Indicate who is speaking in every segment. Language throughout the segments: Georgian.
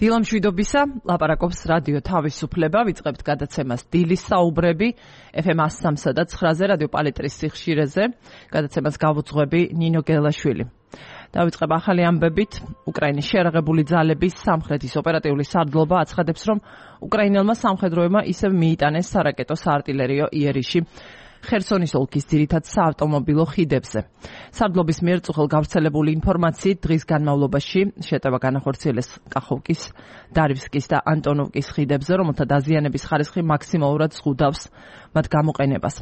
Speaker 1: დილამშვიდობისა, ლაპარაკობს რადიო თავისუფლება, ვიწყებთ გადაცემას დილის საუბრები, FM 103 და 9-ზე რადიო პალეტრის სიხშირეზე, გადაცემას გავუძღვები ნინო გელაშვილი. დავიწყებ ახალი ამბებით, უკრაინის შეერაღებული ძალების სამხრეთის ოპერატიული სარდლობა აცხადებს, რომ უკრაინელმა სამხედროებმა ისევ მიიტანეს სარაკეტო საარტილერიო იერიში ხერსონის ოლქის ძირითად საავტომობილო ხიდებზე. სარდლობის მიერ წუხელ გავრცელებული ინფორმაციით დღის განმავლობაში შეტევა განახორციელეს კახოვკის, დარივსკის და ანტონოვკის ხიდებზე, რომელთა დაზიანების ხარისხი მაქსიმალურად ზღუდავს მათ გამოყენებას.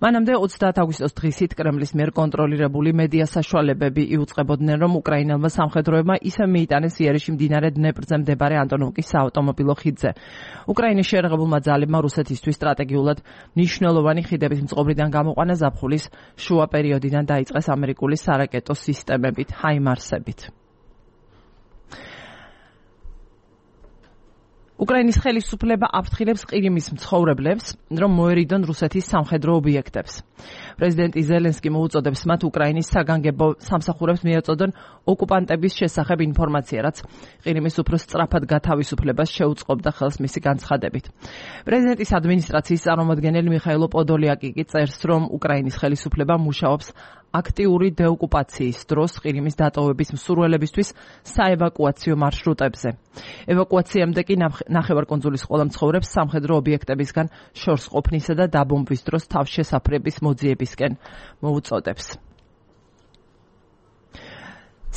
Speaker 1: მანამდე 30 აგვისტოს დღისით კრემლის მიერ კონტროლირებული მედია საშუალებები იუწყებოდნენ, რომ უკრაინელმა სამხედროებმა ისევ მიიტანეს იერიში მდინარე დნეპრზე მდებარე ანტონოვკის საავტომობილო ხიდზე. უკრაინის შეერაღებულმა ძალებმა რუსეთისთვის სტრატეგიულად მნიშვნელოვანი ხიდების მწყობრიდან გამოყვანა ზაფხულის შუა პერიოდიდან დაიწყეს ამერიკული სარაკეტო სისტემებით, ჰაიმარსებით. უკრაინის ხელისუფლება აფრთხილებს ყირიმის მცხოვრებლებს, რომ მოერიდონ რუსეთის სამხედრო ობიექტებს. პრეზიდენტი ზელენსკი მოუწოდებს მათ უკრაინის საგანგებო სამსახურებს მიეწოდონ ოკუპანტების შესახებ ინფორმაცია, რაც ყირიმის უფრო სწრაფად გათავისუფლებას შეუწყობდა ხელს მისი განცხადებით. პრეზიდენტის ადმინისტრაციის წარმომადგენელი მიხაილო პოდოლიაკი კი წერს, რომ უკრაინის ხელისუფლება მუშაობს აქტიური დეოკუპაციის დროს ყირიმის დატოვების მსურველებისთვის საევაკუაციო მარშრუტებზე. ევაკუაციამდე კი ნახევარკუნძულის ყველა მცხოვრებს სამხედრო ობიექტებისგან შორს ყოფნისა და დაბომბვის დროს თავშესაფრების მოძიებისკენ მოუწოდებს.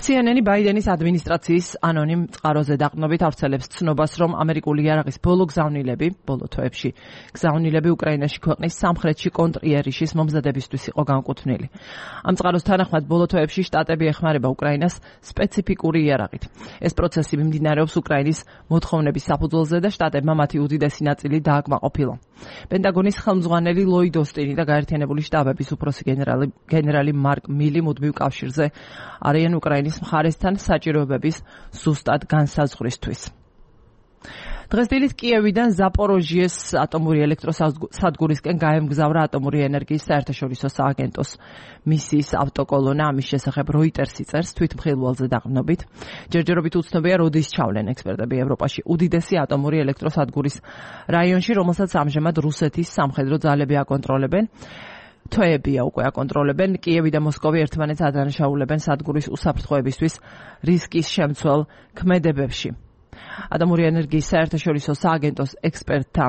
Speaker 1: CNN-ი ბაიდენის ადმინისტრაციის ანონიმ წყაროზე დაყრდნობით ავრცელებს ცნობას, რომ ამერიკული იარაღის ბოლო თვეებში გზავნილები უკრაინაში ქვეყნის სამხრეთში კონტრიერიშის მომზადებისთვის იყო განკუთვნილი. ამ წყაროს თანახმად ბოლო თვეებში შტატები ეხმარება უკრაინას სპეციფიკური იარაღით. ეს პროცესი მიმდინარეობს უკრაინის მოთხოვნების საფუძველზე და შტატებმა მათი უდიდესი ნაწილი დააკმაყოფილა. პენტაგონის ხელმძღვანელი ლოიდ ოსტინი და გაერთიანებული შტაბების უფროსი გენერალი მარკ მილი მუდმივ კავშირზე არიან უკრაინის მხარესთან საჭიროებების ზუსტად განსაზღვრისთვის. დღეს დილით კიევიდან ზაპოროჟიეს ატომური ელექტროსადგურისკენ გაემგზავრა ატომური ენერგიის საერთაშორისო სააგენტოს მისიის ავტოკოლონა. ამის შესახებ როიტერსი წერს თვითმხილველზე დაყრდნობით. ჯერჯერობით უცნობია, როდის ჩავლენ ექსპერტები ევროპაში უდიდესი ატომური ელექტროსადგურის რაიონში, რომელსაც ამჟამად რუსეთის სამხედრო ძალები აკონტროლებენ. თვეებია უკვე აკონტროლებენ. კიევი და მოსკოვი ერთმანეთს ადანაშაულებენ სადგურის უსაფრთხოებისთვის რისკის შემცველ ქმედებებში. ატომური ენერგიის საერთაშორისო სააგენტოს ექსპერტთა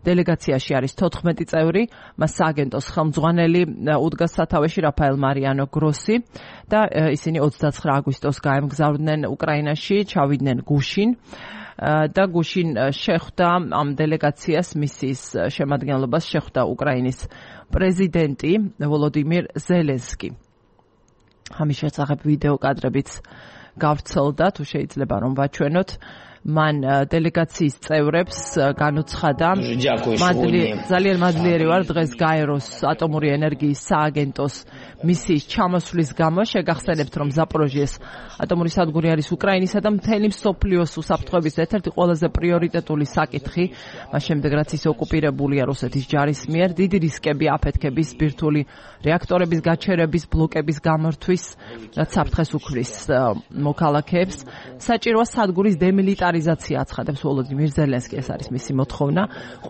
Speaker 1: დელეგაციაში არის 14 წევრი, მას სააგენტოს ხელმძღვანელი უდგას სათავეში რაფაელ მარიანო გროსი და ისინი 29 აგვისტოს გაემგზავრდნენ უკრაინაში, ჩავიდნენ გუშინ და გუშინ შეხვდა ამ დელეგაციას მისიის შემადგენლობას შეხვდა უკრაინის პრეზიდენტი ვოლოდიმირ ზელენსკი. ამის შესახებ ვიდეო კადრებიც გავრცელდა, თუ შეიძლება რომ ვაჩვენოთ. მან დელეგაციის წევრებს განუცხადა, ძალიან მადლიერი ვარ დღეს გაეროს ატომური ენერგიის სააგენტოს მისიის ჩამოსვლის გამო. შეგახსენებთ, რომ ზაპოროჟიეს ატომური სადგური არის უკრაინისა და მთელი მსოფლიოს უსაფრთხოების ერთ-ერთი ყველაზე პრიორიტეტული საკითხი, მას შემდეგ რაც ის ოკუპირებულია რუსეთის ჯარის მიერ. დიდი რისკები აფეთქების, ბირთვული რეაქტორების გაჩერების, ბლოკების გამორთვის, რაც საფრთხეს უქმნის მოქალაქეებს. საჭიროა სადგურის დემილიტარიზაცია, აცხადებს ვოლოდიმირ ზელენსკი, ეს არის მისი მოთხოვნა.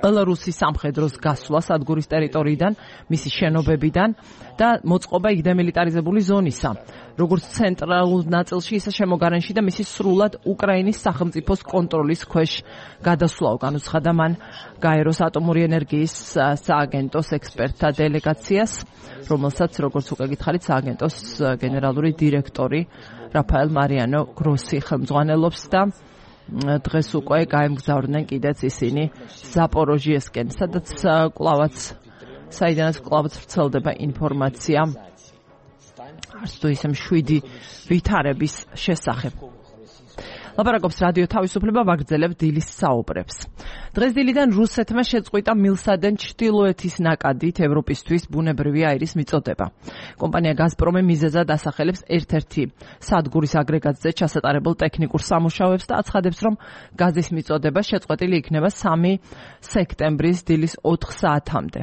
Speaker 1: ყველა რუსი სამხედროს გასვლა სადგურის ტერიტორიიდან, მისი შენობებიდან და მოწყობა იქ დემილიტარიზებული ზონისა, როგორც ცენტრალურ ნაწილში, ისე შემოგარენში და მისი სრულად უკრაინის სახელმწიფოს კონტროლის ქვეშ გადასვლაო. განუცხადა მან გაეროს ატომური ენერგიის სააგენტოს ექსპერტთა დელეგაციას, რომელსაც, როგორც უკვე გითხარით, სააგენტოს გენერალური დირექტორი რაფაელ მარიანო გროსი ხელმძღვანელობს და დღეს უკვე გაემგზავრნენ კიდეც ისინი ზაპოროჟიესკენ, საიდანაც კვლავაც ვრცელდება ინფორმაცია არც თუ ისე მშვიდი ვითარების შესახებ. ლაპარაკობს რადიო თავისუფლება, ვაგრძელებ დილის საუბრებს. დღეს დილიდან რუსეთმა შეწყვიტა მილსადენ ჩრდილოეთის ნაკადით ევროპისთვის ბუნებრივი აირის მიწოდება. კომპანია გაზპრომი მიზეზად ასახელებს ერთ-ერთი სადგურის აგრეგატზე ჩასატარებულ ტექნიკურ სამუშაოებს და აცხადებს, რომ გაზის მიწოდება შეწყვეტილი იქნება 3 სექტემბრის დილის 4 საათამდე.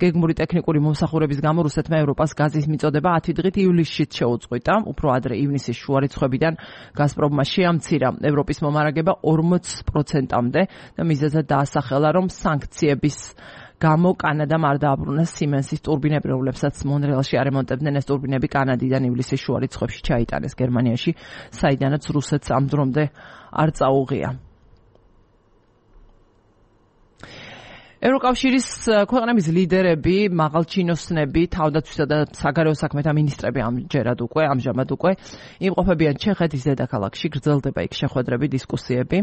Speaker 1: გეგმური ტექნიკური მომსახურების გამო რუსეთმა ევროპას გაზის მიწოდება 10 დღით ივლისშიც შეუწყვიტა. უფრო ადრე ივნისის შუა რიცხვებიდან გაზპრომმა შეამცირა ევროპის მომარაგება 40%-მდე და მიზეზად დაასახელა, რომ სანქციების გამო კანადამ არ დააბრუნა Siemens-ის ტურბინები, რომლებსაც მონრეალში არემონტებდნენ. ეს ტურბინები კანადიდან ივლისის შუა რიცხვებში ჩაიტანეს გერმანიაში, საიდანაც რუსეთს ამ დრომდე არ წაუღია. ევროკავშირის ქვეყნების ლიდერები, მაღალჩინოსნები, თავდაცვისა და საგარეო საქმეთა მინისტრები ამჟამად უკვე იმყოფებიან ჩეხეთის დედაქალაქში, გრძელდება იქ შეხვედრები, დისკუსიები.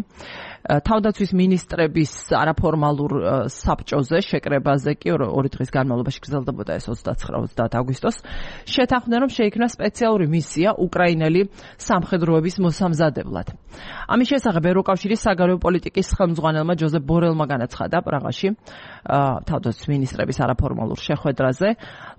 Speaker 1: თავდაცვის მინისტრების არაფორმალურ საბჭოზე, შეკრებაზე კი 2 დღის განმავლობაში გრძელდებოდა ეს 29-30 აგვისტოს, შეთანხმდნენ, რომ შეიქმნა სპეციალური მისია უკრაინელი სამხედროების მოსამზადებლად. ამის შესახებ ევროკავშირის საგარეო პოლიტიკის ხელმძღვანელმა ჯოზეფ ბორელმა განაცხადა პრაღაში თავდაცვის მინისტრების არაფორმალურ შეხვედრაზე.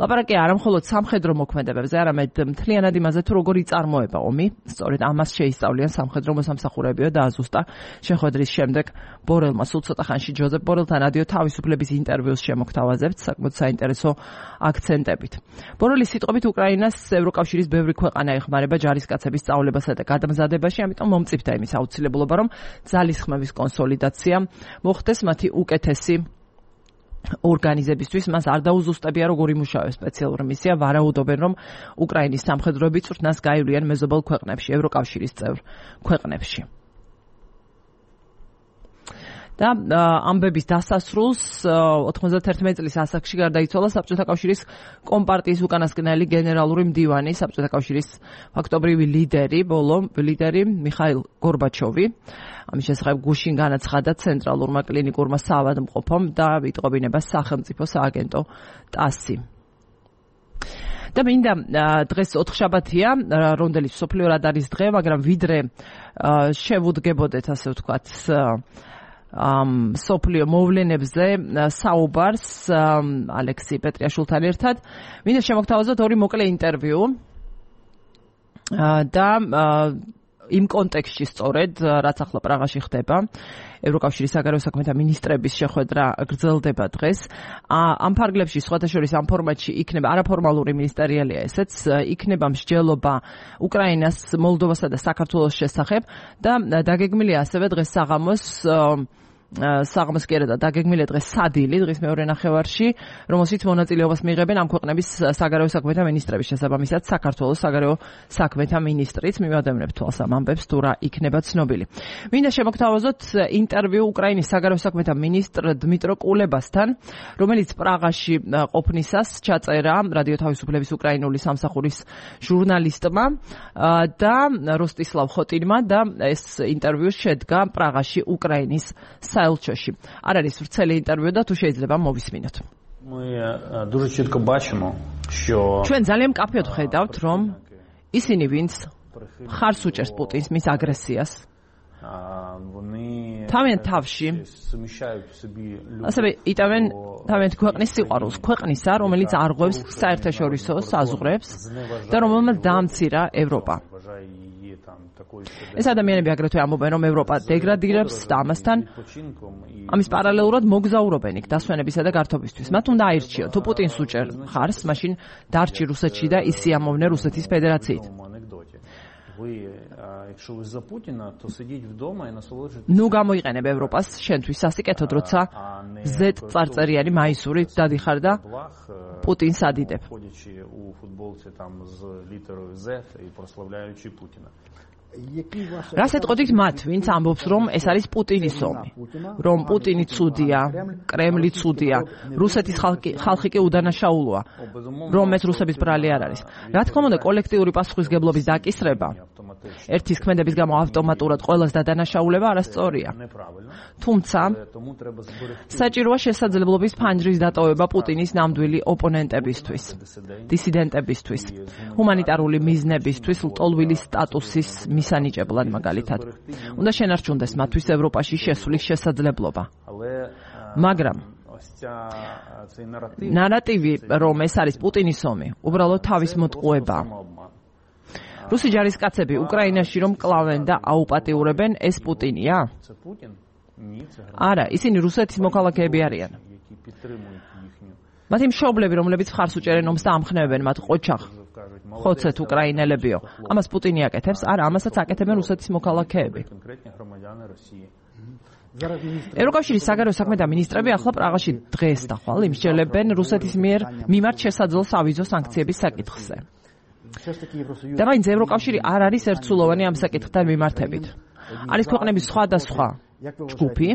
Speaker 1: ლაპარაკი არა მხოლოდ სამხედრო მოქმედებებზე, არამედ მთლიანად იმაზე, თუ როგორ იწარმოება ომი. სწორედ ამას შეისწავლიან სამხედრო მოსამსახურეებიო და აზუსტა. შეხვედრის შემდეგ ბორელმა სულ ცოტა ხანში ჯოზეფ ბორელთან რადიო თავისუფლების ინტერვიუს შემოგთავაზებთ საკმაოდ საინტერესო აქცენტებით. ბორელის სიტყვებით უკრაინას ევროკავშირის ბევრი ქვეყანა ეხმარება ჯარისკაცების სწავლებასა და გადამზადებაში, ამიტომ მომწიფდა იმის აუცილებლობა, რომ ძალისხმევის კონსოლიდაცია მოხდეს მათი უკეთესი ორგანიზებისთვის. მას არ დაუზუსტებია, როგორ იმუშავებს სპეციალური მისია, ვარაუდობენ, რომ უკრაინის სამხედროები წვრთნას გაივლიან მეზობელ ქვეყნებში, ევროკავშირის წევრ ქვეყნებში. და ამბების დასასრულს 91 წლის ასაკში გარდაიცვალა საბჭოთა კავშირის კომპარტიის უკანასკნელი გენერალური მდივანი, საბჭოთა კავშირის ფაქტობრივი ლიდერი მიხაილ გორბაჩოვი. ამის შესახებ გუშინ განაცხადა ცენტრალურმა კლინიკურმა საავადმყოფომ და იტყობინება სახელმწიფო სააგენტო TASS-ი. და მინდა დღეს ოთხშაბათია, რონდელის მსოფლიო რადარის დღე, მაგრამ ვიდრე შევუდგებოდეთ, ასე ვთქვათ, სოფლიო მოვლენებზე საუბარს ალექსი პეტრიაშვილთან ერთად. მინდა შემოგთავაზოთ 2 მოკლე ინტერვიუ და იმ კონტექსტში სწორედ, რაც ახლა პრაღაში ხდება, ევროკავშირის საგარეო საქმეთა მინისტრების შეხვედრა გრძელდება დღეს. ამ ფარგლებში სხვათა შორის ამ ფორმატში იქნება არაფორმალური მინისტერიალია ესეც, იქნება მსჯელობა უკრაინას, მოლდოვასა და საქართველოს შესახებ და დაგეგმილია ასევე დღეს საღამოს კი არა და დაგეგმილია დღეს სადილი, დღის მეორე ნახევარში, რომელშიც მონაწილეობას მიიღებენ ამ ქვეყნების საგარეო საქმეთა მინისტრები, შესაბამისად საქართველოს საგარეო საქმეთა მინისტრიც. მივადევნებთ თვალს ამ ამბებს, თუ რა იქნება ცნობილი. მინდა შემოგთავაზოთ ინტერვიუ უკრაინის საგარეო საქმეთა მინისტრ დმიტრო კულებასთან, რომელიც პრაღაში ყოფნისას ჩაწერა რადიო თავისუფლების უკრაინული სამსახურის ჟურნალისტმა და როსტისლავ ხოტინმა და ეს ინტერვიუ შედგა პრაღაში უკრაინის საელჩოში. არ არის ვრცელი ინტერვიუ და თუ შეიძლება მოვისმინოთ. ჩვენ ძალიან მკაფიოდ ხედავთ, რომ ისინი, ვინც ხარს უჭერს პუტინს, მის აგრესიას, თავიანთ თავში ასევე იტევენ თავიანთ ქვეყნის სიყვარულს, ქვეყნისა, რომელიც არღვევს საერთაშორისო საზღვრებს და რომელმაც დაამცირა ევროპა. ეს ადამიანები აგრეთვე ამბობენ, რომ ევროპა დეგრადირებს და ამის პარალელურად მოგზაურობენ იქ დასვენებისა და გართობისთვის. მათ უნდა აირჩიონ, თუ პუტინს უჭერ ხარს, მაშინ დარჩი რუსეთში და ისიამოვნე რუსეთის ფედერაციით. ნუ გამოიყენებ ევროპას შენთვის სასიკეთოდ, როცა Z წარწერიანი მაისურით დადიხარ და პუტინს ადიდებ. რას ეტყოდით მათ, ვინც ამბობს, რომ ეს არის პუტინის ომი, რომ პუტინი ცუდია, კრემლი ცუდია, რუსეთის ხალხი კი უდანაშაულოა, რომ ეს რუსების ბრალი არ არის. რა თქმა უნდა, კოლექტიური პასუხისგებლობის დაკისრება ერთის ქმედების გამო ავტომატურად ყველას დადანაშაულება არასწორია. თუმცა საჭიროა შესაძლებლობის ფანჯრის დატოვება პუტინის ნამდვილი ოპონენტებისთვის, დისიდენტებისთვის, ჰუმანიტარული მიზნებისთვის, ლტოლვილი სტატუსის მისანიჭებლად მაგალითად. უნდა შენარჩუნდეს მათთვის ევროპაში შესვლის შესაძლებლობა. მაგრამ ნარატივი, რომ ეს არის პუტინის ომი, უბრალოდ თავის მოტყუება. რუსი ჯარისკაცები უკრაინაში რომ კლავენ და აუპატიურებენ, ეს პუტინია? არა, ისინი რუსეთის მოქალაქეები არიან. მათი მშობლები, რომლებიც ხარს უჭერენ ომს და ამხნევებენ მათ ყოჩახ ხოცეთ უკრაინელებიო. ამას პუტინი აკეთებს, არა, ამასაც აკეთებენ რუსეთის მოქალაქეები. ევროკავშირის საგარეო საქმეთა მინისტრები ახლა პრაღაში დღეს და ხვალ იმსჯელებენ რუსეთის მიმართ შესაძლო სავიზო სანქციების საკითხზე. და მაინც ევროკავშირი არ არის ერთსულოვანი ამ საკითხთან მიმართებით. არის ქვეყნების სხვადასხვა ჯგუფი,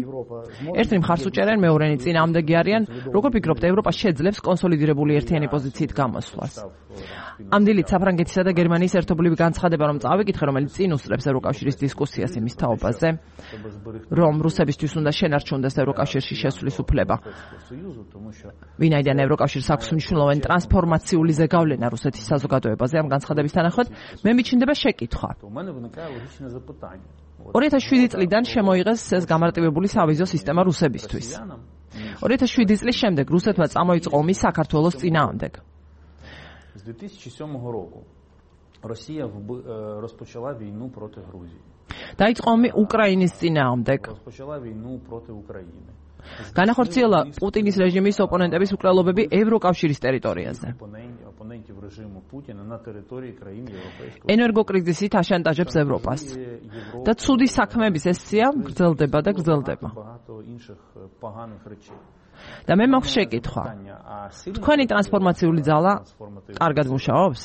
Speaker 1: ერთი მხარს უჭერენ, მეორენი წინააღმდეგი არიან. როგორ ფიქრობთ, ევროპა შეძლებს კონსოლიდირებული ერთიანი პოზიციით გამოსვლას? ამ დილით საფრანგეთისა და გერმანიის ერთობლივი განცხადება რომ წავიკითხე, რომელიც წინ უსწრებს ევროკავშირის დისკუსიას იმის თაობაზე, რომ რუსებისთვის უნდა შენარჩუნდეს ევროკავშირში შესვლის უფლება. ვინაიდან ევროკავშირს აქვს მნიშვნელოვანი ტრანსფორმაციული ზეგავლენა რუსეთის საზოგადოებაზე, ამ განცხადების თანახმად მე მიჩნდება შეკითხვა. 2007 წლიდან შემოიღეს ეს გამარტივებული სავიზო სისტემა რუსებისთვის. 2007 წლის შემდეგ რუსეთმა წამოიწყო ომი საქართველოს წინააღმდეგ.
Speaker 2: З 2007 року Росія розпочала війну проти Грузії.
Speaker 1: დაიწყო ომი უკრაინის წინააღმდეგ.
Speaker 2: Розпочала війну проти України.
Speaker 1: განახორციელა პუტინის რეჟიმის ოპონენტების უკრალობები ევროკავშირის ტერიტორიაზე.
Speaker 2: Опонентів режиму Путіна на території країн Європейського.
Speaker 1: ენერგოკრიზისით აშანტაჟებს ევროპას. და ცუდი საქმეების ეს სია გრძელდება და გრძელდება.
Speaker 2: Багато інших поганих речей.
Speaker 1: და მე მაქვს შეკითხვა. თქვენი ტრანსფორმაციული ძალა კარგად მუშაობს?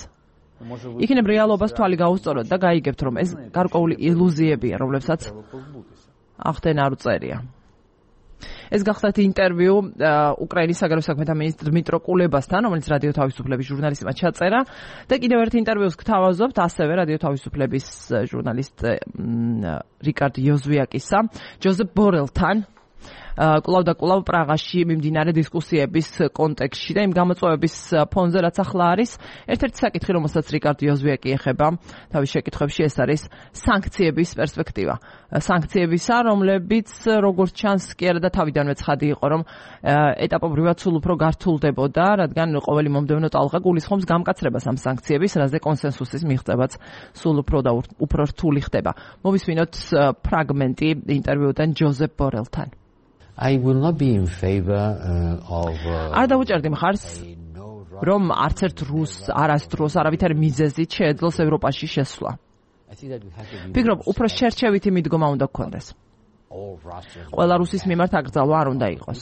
Speaker 1: იქნებ რეალობას თვალი გაუსწოროთ და გაიგებთ, რომ ეს გარკვეული ილუზიებია, რომლებსაც ახდენ არ უწერია. ეს გახდათ ინტერვიუ უკრაინის საგარეო საქმეთა მინისტრ დმიტრო კულებასთან, რომელიც რადიო თავისუფლების ჟურნალისტმა ჩაწერა და კიდევ ერთ ინტერვიუს გთავაზობთ ასევე რადიო თავისუფლების ჟურნალისტ რიკარდ იოზვიაკისა, ჯოზეფ ბორელთან. კვლავ და კვლავ პრაღაში მიმდინარე დისკუსიების კონტექსტში და იმ გამოწვევების ფონზე, რაც ახლა არის, ერთ-ერთი საკითხი, რომელსაც რიკარდ იოზვიაკი ეხება თავის შეკითხვებში, ეს არის სანქციების პერსპექტივა. სანქციებისა, რომლებიც როგორც ჩანს კი არა და თავიდანვე ცხადი იყო, რომ ეტაპობრივად სულ უფრო გართულდებოდა, რადგან ყოველი მომდევნო ტალღა გულისხმობს გამკაცრებას ამ სანქციების, რაზე კონსენსუსის მიღწევაც სულ უფრო რთული ხდება. მოვისმინოთ ფრაგმენტი ინტერვიუდან ჯოზეფ ბორელთან.
Speaker 3: I will not be in favor of
Speaker 1: არ დავუჭერდი მხარს, რომ არც ერთ არასდროს არავითარი მიზეზით შეეძლოს ევროპაში შესვლა. ფიქრობ, უფრო შერჩევითი მიდგომა უნდა გქონდეს. ყველა რუსის მიმართ აკრძალვა არ უნდა იყოს.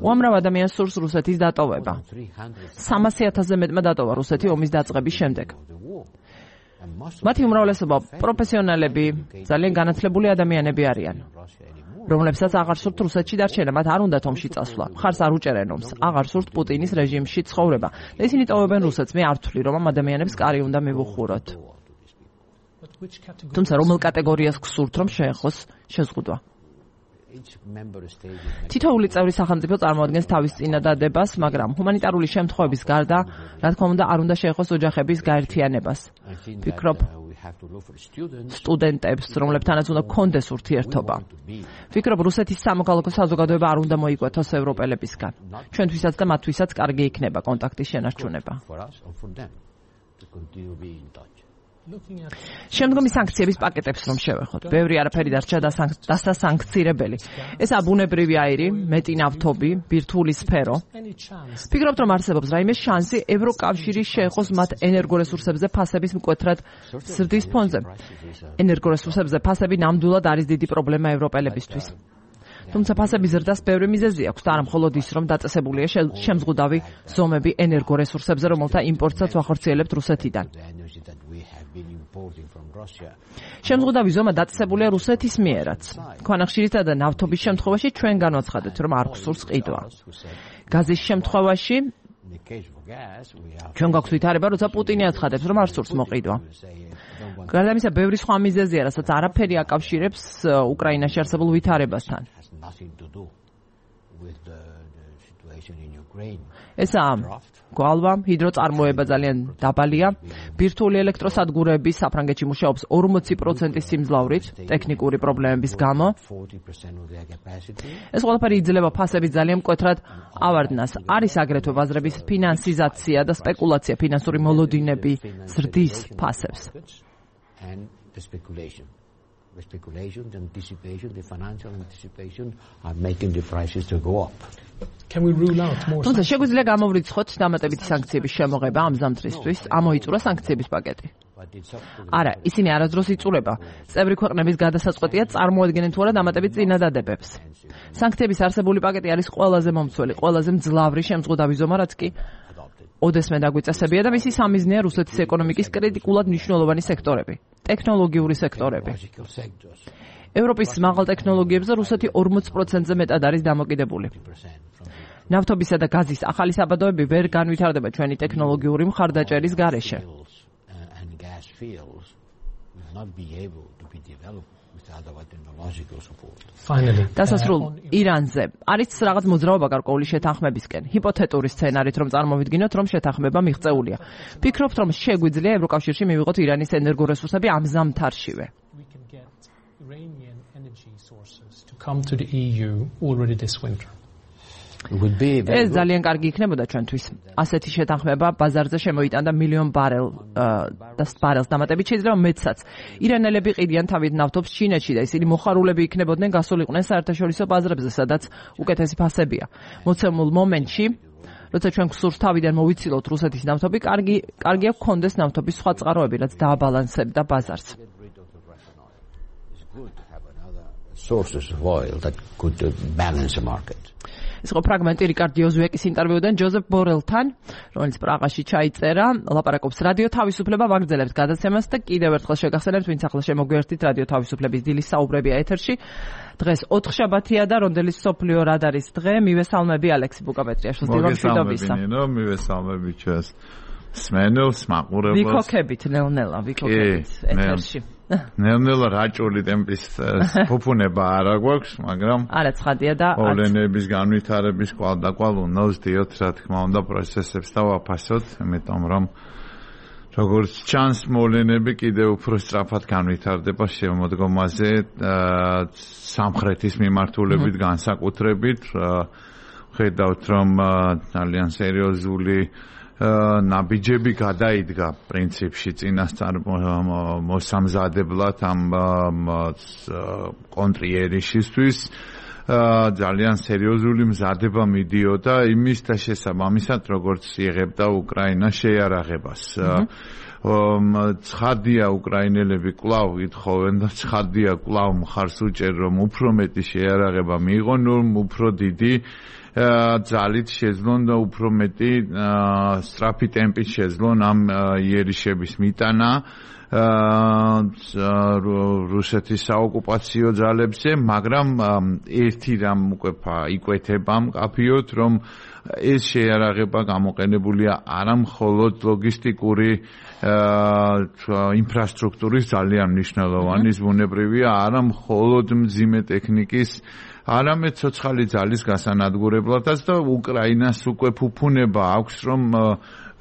Speaker 1: უამრავ ადამიანს სურს რუსეთის დატოვება. 300,000-ზე მეტმა დატოვა რუსეთი ომის დაწყების შემდეგ. მათი უმრავლესობა პროფესიონალები, ძალიან განათლებული ადამიანები არიან, რომლებსაც აღარ სურთ რუსეთში დარჩენა, მათ არ უნდათ ომში წასვლა. მხარს არ უჭერენ ომს, აღარ სურთ პუტინის რეჟიმში ცხოვრება. და ისინი ტოვებენ რუსეთს. მე არ ვთვლი, რომ ამ ადამიანებს კარი უნდა მივუხუროთ. თუმცა რომელ კატეგორიას გსურთ, რომ შეეხოს შეზღუდვა? თითოეული წევრი სახელმწიფო წარმოადგენს თავის წინადადებას, მაგრამ ჰუმანიტარული შემთხვევების გარდა, რა თქმა უნდა, არ უნდა შეეხოს ოჯახების გაერთიანებას. ფიქრობ, სტუდენტებს, რომლებთანაც უნდა გქონდეს ურთიერთობა. ფიქრობ, რუსეთის სამოქალაქო საზოგადოება არ უნდა მოიკვეთოს ევროპელებისგან. ჩვენთვისაც და მათთვისაც კარგი იქნება კონტაქტის შენარჩუნება. შემდგომი სანქციების პაკეტებს რომ შევეხოთ, ბევრი არაფერი დარჩა დასასანქცირებელი. ესაა ბუნებრივი აირი, მეტი ნავთობი, ბირთვული სფერო. ფიქრობთ, რომ არსებობს რაიმე შანსი ევროკავშირის შეეხოს მათ ენერგორესურსებზე ფასების მკვეთრად ზრდის ფონზე? ენერგორესურსებზე ფასები ნამდვილად არის დიდი პრობლემა ევროპელებისთვის. თუმცა ფასების ზრდას ბევრი მიზეზი აქვს და არა მხოლოდ ის, რომ დაწესებულია შემზღუდავი ზომები ენერგორესურსებზე, რომელთა იმპორტსაც ვახორციელებთ რუსეთიდან. შემზღუდავი ზომა დაწესებულია რუსეთის მიერაც. ქვანახშირისა და ნავთობის შემთხვევაში ჩვენ განვაცხადეთ, რომ არ გვსურს ყიდვა. გაზის შემთხვევაში ჩვენ გვაქვს ვითარება, როცა პუტინი აცხადებს, რომ არ სურს მოყიდვა. გარდა ამისა, ბევრი სხვა მიზეზია, რასაც არაფერი აკავშირებს უკრაინაში არსებულ ვითარებასთან. ესაა გვალვა, ჰიდროწარმოება ძალიან დაბალია. ბირთვული ელექტროსადგურები საფრანგეთში მუშაობს 40% სიმძლავრით ტექნიკური პრობლემების გამო. ეს ყველაფერი იძლევა ფასების ძალიან მკვეთრად ავარდნას. არის აგრეთვე ბაზრების ფინანსიზაცია და სპეკულაცია ფინანსური მოლოდინები ზრდის ფასებს. The speculation, the anticipation, the financial anticipation are making the prices to go up.
Speaker 4: Can we rule out more?
Speaker 1: თუმცა შეგვიძლია გამოვრიცხოთ დამატებითი სანქციების შემოღება ამ ზამთრისთვის, ამოიწურა სანქციების პაკეტი. არა, ისინი არასდროს იწურება. წევრი ქვეყნების გადასაწყვეტია წარმოადგენენ თუ არა დამატებით წინადადებებს. სანქციების არსებული პაკეტი არის ყველაზე მომცველი, ყველაზე მძლავრი შემზღუდავი ზომა, რაც კი ოდესმე დაგვიწესებია და მისი სამიზნეა რუსეთის ეკონომიკის კრიტიკულად მნიშვნელოვანი სექტორები, ტექნოლოგიური სექტორები. ევროპის მაღალ ტექნოლოგიებზე რუსეთი 40%-ზე მეტად არის დამოკიდებული. ნავთობისა და გაზის ახალი საბადოები ვერ განვითარდება ჩვენი ტექნოლოგიური მხარდაჭერის გარეშე. დასასრულ ირანზე არის რაღაც მოძრაობა გარკვეული შეთანხმებისკენ. ჰიპოთეტური სცენარით რომ წარმოვიდგინოთ, რომ შეთანხმება მიღწეულია. ფიქრობთ, რომ შეგვიძლია ევროკავშირში მივიღოთ ირანის ენერგორესურსები ამ ზამთარშივე.
Speaker 4: Come to the EU already this winter.
Speaker 1: ეს ძალიან კარგი იქნებოდა ჩვენთვის. ასეთი შეთანხმება ბაზარზე შემოიტანდა მილიონ ბარელს დამატებით, შეიძლება მეტსაც. ირანელები ყიდიან თავით ნავთობს ჩინეთში და ისინი მოხარულები იქნებოდნენ გასულიყვნენ საერთაშორისო ბაზრებზე, სადაც უკეთესი ფასებია. მოცემულ მომენტში, როცა ჩვენ გვსურს თავიდან მოვიცილოთ რუსეთის ნავთობი, კარგია გქონდეს ნავთობის სხვა წყაროები, რაც დააბალანსებდა ბაზარს.
Speaker 3: Sources of oil that could balance the market.
Speaker 1: ეს იყო ფრაგმენტი რიკარდ იოზუეკის ინტერვიუდან ჯოზეფ ბორელთან, რომელიც პრაღაში ჩაიწერა. ლაპარაკობს რადიო თავისუფლება ვაგრძელებთ გადაცემას და კიდევ ერთხელ შეგახსენებთ, ვინც ახლა შემოგვიერთით რადიო თავისუფლების დილის საუბრებია ეთერში. დღეს 4 შაბათია და რონდელის სოფლიო რადარის დღე. მივესალმები ალექსი ბუკაპეტრიაშვილს.
Speaker 5: მოგესალმებინო, მივესალმები ჩვენს სმენელს, მაყურებელს.
Speaker 1: ვიქოქებით ნელ-ნელა, ვიქოქებით ეთერში.
Speaker 5: ნელ-ნელა რაჭული ტემპის ფუფუნება არა გვაქვს, მაგრამ
Speaker 1: არა ცხადია და
Speaker 5: მოვლენების განვითარების კვალდაკვალ უნდა ვსდიოთ, რა თქმა უნდა, პროცესებს და ვაფასოთ, იმიტომ რომ როგორც ჩანს მოვლენები კიდევ უფრო სწრაფად განვითარდება შემოდგომაზე სამხრეთის მიმართულებით განსაკუთრებით. ხედავთ რომ ძალიან სერიოზული ნაბიჯები გადაიდგა პრინციპში წინასწარ მოსამზადებლად ამ კონტრიერიშისთვის. ძალიან სერიოზული მზადება მიდიოდა იმის და შესაბამისად როგორც იღებდა უკრაინა შეიარაღებას. ცხადია უკრაინელები კვლავ ითხოვენ და ცხადია კვლავ მხარს უჭერ რომ უფრო მეტი შეიარაღება მიიღონ, რომ უფრო დიდი ძალით შეძლონ და უფრო მეტი სწრაფი ტემპით შეძლონ ამ იერიშების მიტანა რუსეთის საოკუპაციო ძალებზე, მაგრამ ერთი რამ უკვე იკვეთება მკაფიოდ, რომ ეს შეიარაღება გამოყენებულია არა მხოლოდ ლოგისტიკური ინფრასტრუქტურის ძალიან მნიშვნელოვანი ზმუნებრივია, არა მხოლოდ მძიმე ტექნიკის, არამედ ცოცხალი ძალის გასანადგურებლადაც და უკრაინას უკვე ფუფუნება აქვს, რომ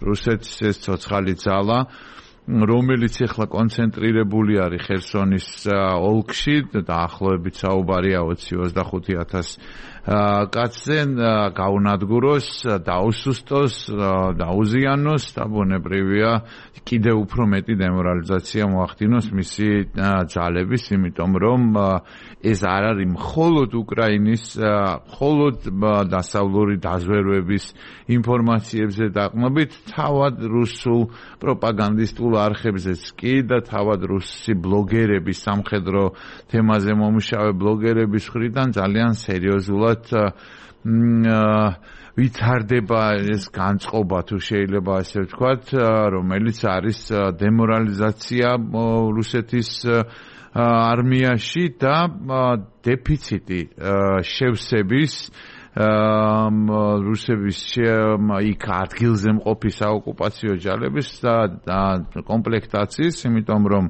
Speaker 5: რუსეთის ეს ცოცხალი ძალა, რომელიც ახლა კონცენტრირებული არის ხერსონის ოლქში, დაახლოებით საუბარია 20-25,000 კაცზე, გაუნადგუროს, დაუსუსტოს, დაუზიანოს და ბუნებრივია კიდევ უფრო მეტი დემორალიზაცია მოახდინოს მისი ძალების, იმიტომ რომ ეს არ არის მხოლოდ უკრაინის, მხოლოდ დასავლური დაზვერვების ინფორმაციებზე დაყრდნობით, თავად რუსულ პროპაგანდისტულ არხებზეც კი და თავად რუსი ბლოგერები, სამხედრო თემაზე მომუშავე ბლოგერების მხრიდან ძალიან სერიოზულად ვითარდება ეს განწყობა, თუ შეიძლება ასე ვთქვათ, რომელიც არის დემორალიზაცია რუსეთის არმიაში და დეფიციტი შევსების რუსების იქ ადგილზე მყოფი საოკუპაციო ჯარების და კომპლექტაციის, იმიტომ რომ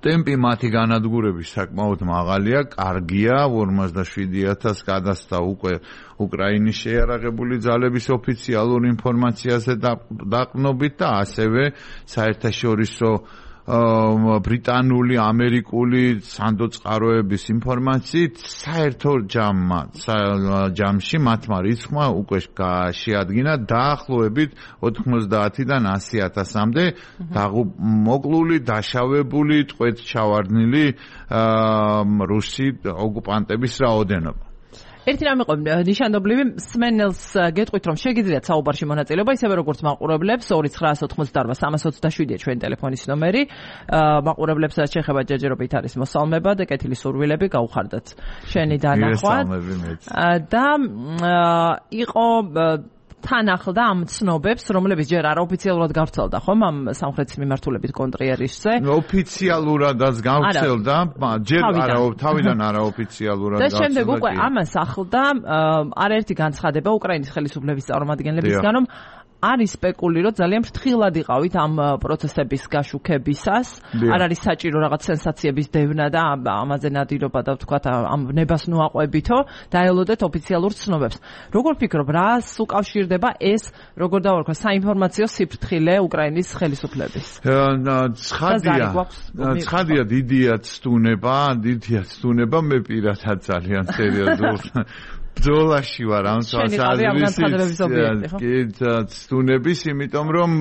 Speaker 5: ტემპი მათი განადგურების საკმაოდ მაღალია, კარგია, 57,000 გადასცა უკვე უკრაინის შეიარაღებული ძალების ოფიციალურ ინფორმაციაზე დაყრდნობით და ასევე საერთაშორისო ბრიტანული, ამერიკული სანდოწყაროების ინფორმაციით საერთო ჯამში მათმა რიცხვმა უკვე შეადგინა დაახლოებით 90-დან 100,000-მდე მოკლული, დაშავებული, ტყვედ ჩავარდნილი რუსი ოკუპანტების რაოდენობა.
Speaker 1: ერთი რამე იყო ნიშანდობლივი სმენელს გეტყვით რომ შეგიძლიათ საუბარში მონაწილეობა ისევე როგორც მაყურებლებს 2988-327-ია ჩვენი ტელეფონის ნომერი მაყურებლებსაც შეეხება ჯერჯერობით არის მოსალმება და კეთილი სურვილები გაუხარდათ შენი დანახვა და იყო თან ახლდა ამ ცნობებს, რომლებიც ჯერ არაოფიციალურად გავრცელდა, ხომ ამ სამხრეთის მიმართულებით კონტრიერისზე?
Speaker 5: ოფიციალურადაც გავრცელდა, ჯერ თავიდან არაოფიციალურად
Speaker 1: გავრცელდა. და შემდეგ უკვე ამას ახლდა არაერთი განცხადება უკრაინის ხელისუფლების წარმომადგენლებისგან, რომ არის სპეკულირებთ ძალიან ფრთხილად იყავით ამ პროცესების გაშუქებისას. არ არის საჭირო რაღაც სენსაციების დევნა და ამაზე ნადირობა და ვთქვათ ამ ნებას ნუაყვებითო დაელოდეთ ოფიციალურ ცნობებს. როგორ ფიქრობ, რას უკავშირდება ეს, როგორ დავარქვა, საინფორმაციო სიფრთხილე უკრაინის ხელისუფლების?
Speaker 5: ცხადია, დიდია ცდუნება, მე პირადად ძალიან სერიოზულად ბრძოლაში ვარ ამ ცდუნების, იმიტომ რომ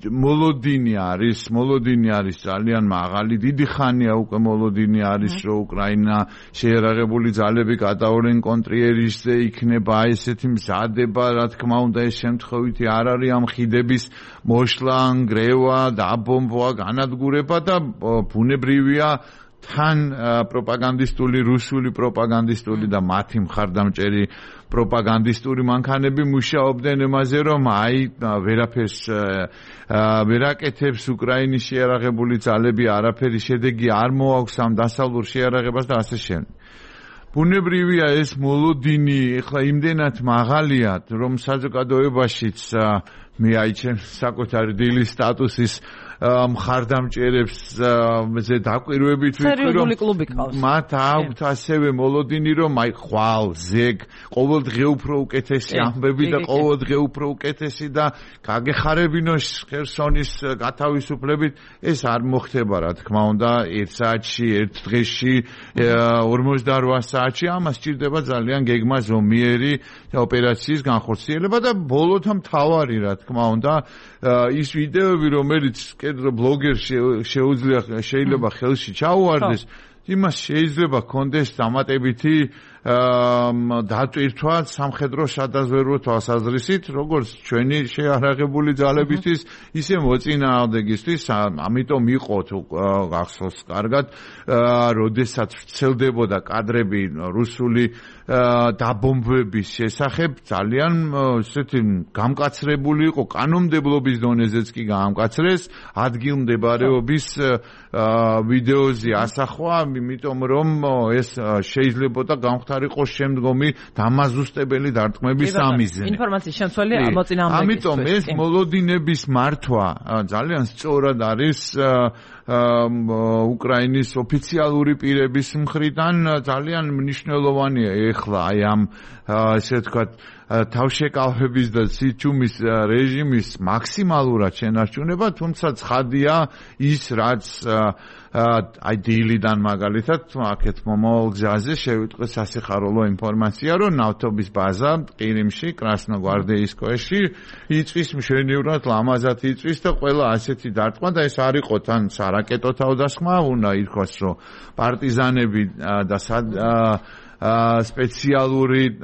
Speaker 5: მოლოდინი არის ძალიან მაღალი, დიდი ხანია უკვე მოლოდინი არის, რომ უკრაინა შეერაღებული ძალები გადაურენ კონტრიერისზე, იქნება ესეთი მზადება, რა თქმა უნდა, ეს შემთხვევითი არ არის ამ ხიდების მოშლა, ნგრევა, დაბომბვა, განადგურება და ბუნებრივია თან პროპაგანდისტული, რუსული პროპაგანდისტული და მათი მხარდამჭერი პროპაგანდისტური მანქანები მუშაობდნენ იმაზე, რომ ვერაფერს ვერაკეთებს უკრაინის შეიარაღებული ძალები, არაფერი შედეგი არ მოაქვს ამ დასავლურ შეიარაღებას და ასე შემდეგ. ბუნებრივია ეს მოლოდინი ეხლა იმდენად მაღალია, რომ საზოგადოებაშიც მე აიჩენ საკუთარი დილის სტატუსის მხარდამჭერებს ზე დაკვირვებით ვიტყვი რომ მათ აქვთ ასევე მოლოდინი რომ ხვალ ზეგ ყოველდღე უფრო უკეთესი ამბები და ყოველდღე უფრო უკეთესი და გაგეხარებინო ხერსონის გათავისუფლებით ეს არ მოხდება რა თქმა უნდა 1 საათში 1 დღეში 48 საათში ამას სჭირდება ძალიან გეგმა ზომიერი ოპერაციის განხორციელება და ბოლოთა მთავარი რა თქმა უნდა ის ვიდეოები რომელიც ბლოგერს შეიძლება ხელში ჩაუვარდეს იმას შეიძლება კონდეს დამატებითი დატვირთვა სამხედრო სადაზვერვო თვალსაზრისით როგორც ჩვენი შეიარაღებული ძალებისთვის ისე მოწინააღმდეგისთვის ამიტომ იყო თუ გახსოვს კარგად როდესაც ვრცელდებოდა კადრები რუსული დაბომბვების შესახებ ძალიან ესეთი გამკაცრებული იყო კანონმდებლობის დონეზეც კი გამკაცრეს ადგილმდებარეობის ვიდეოზე ასახვა იმიტომ რომ ეს შეიძლება და გამხდარიყო შემდგომი დამაზუსტებელი დარტყმების სამიზნე
Speaker 1: ინფორმაციის შემცველი მოწინააღმდეგის
Speaker 5: ამიტომ ეს მოლოდინების მართვა ძალიან სწორად არის უკრაინის ოფიციალური პირების მხრიდან ძალიან მნიშვნელოვანია ეხლა აი ამ ესე ვთქვათ თავშეკავების და სიჩუმის რეჟიმის მაქსიმალურად შენარჩუნება, თუმცა ცხადია ის რაც აი დილიდან მაგალითად აქეთ მომავალ გზაზე შევიტყვე სასიხარულო ინფორმაცია, რომ ნავთობის ბაზა ყირიმში, კრასნოგვარდეისკოეში იწვის მშვენივრად ლამაზად იწვის და ყველა ასეთი დარტყმა და ეს არ იყო თან სარაკეტო თავდასხმა, უნდა ითქვას, რომ პარტიზანები და სპეციალური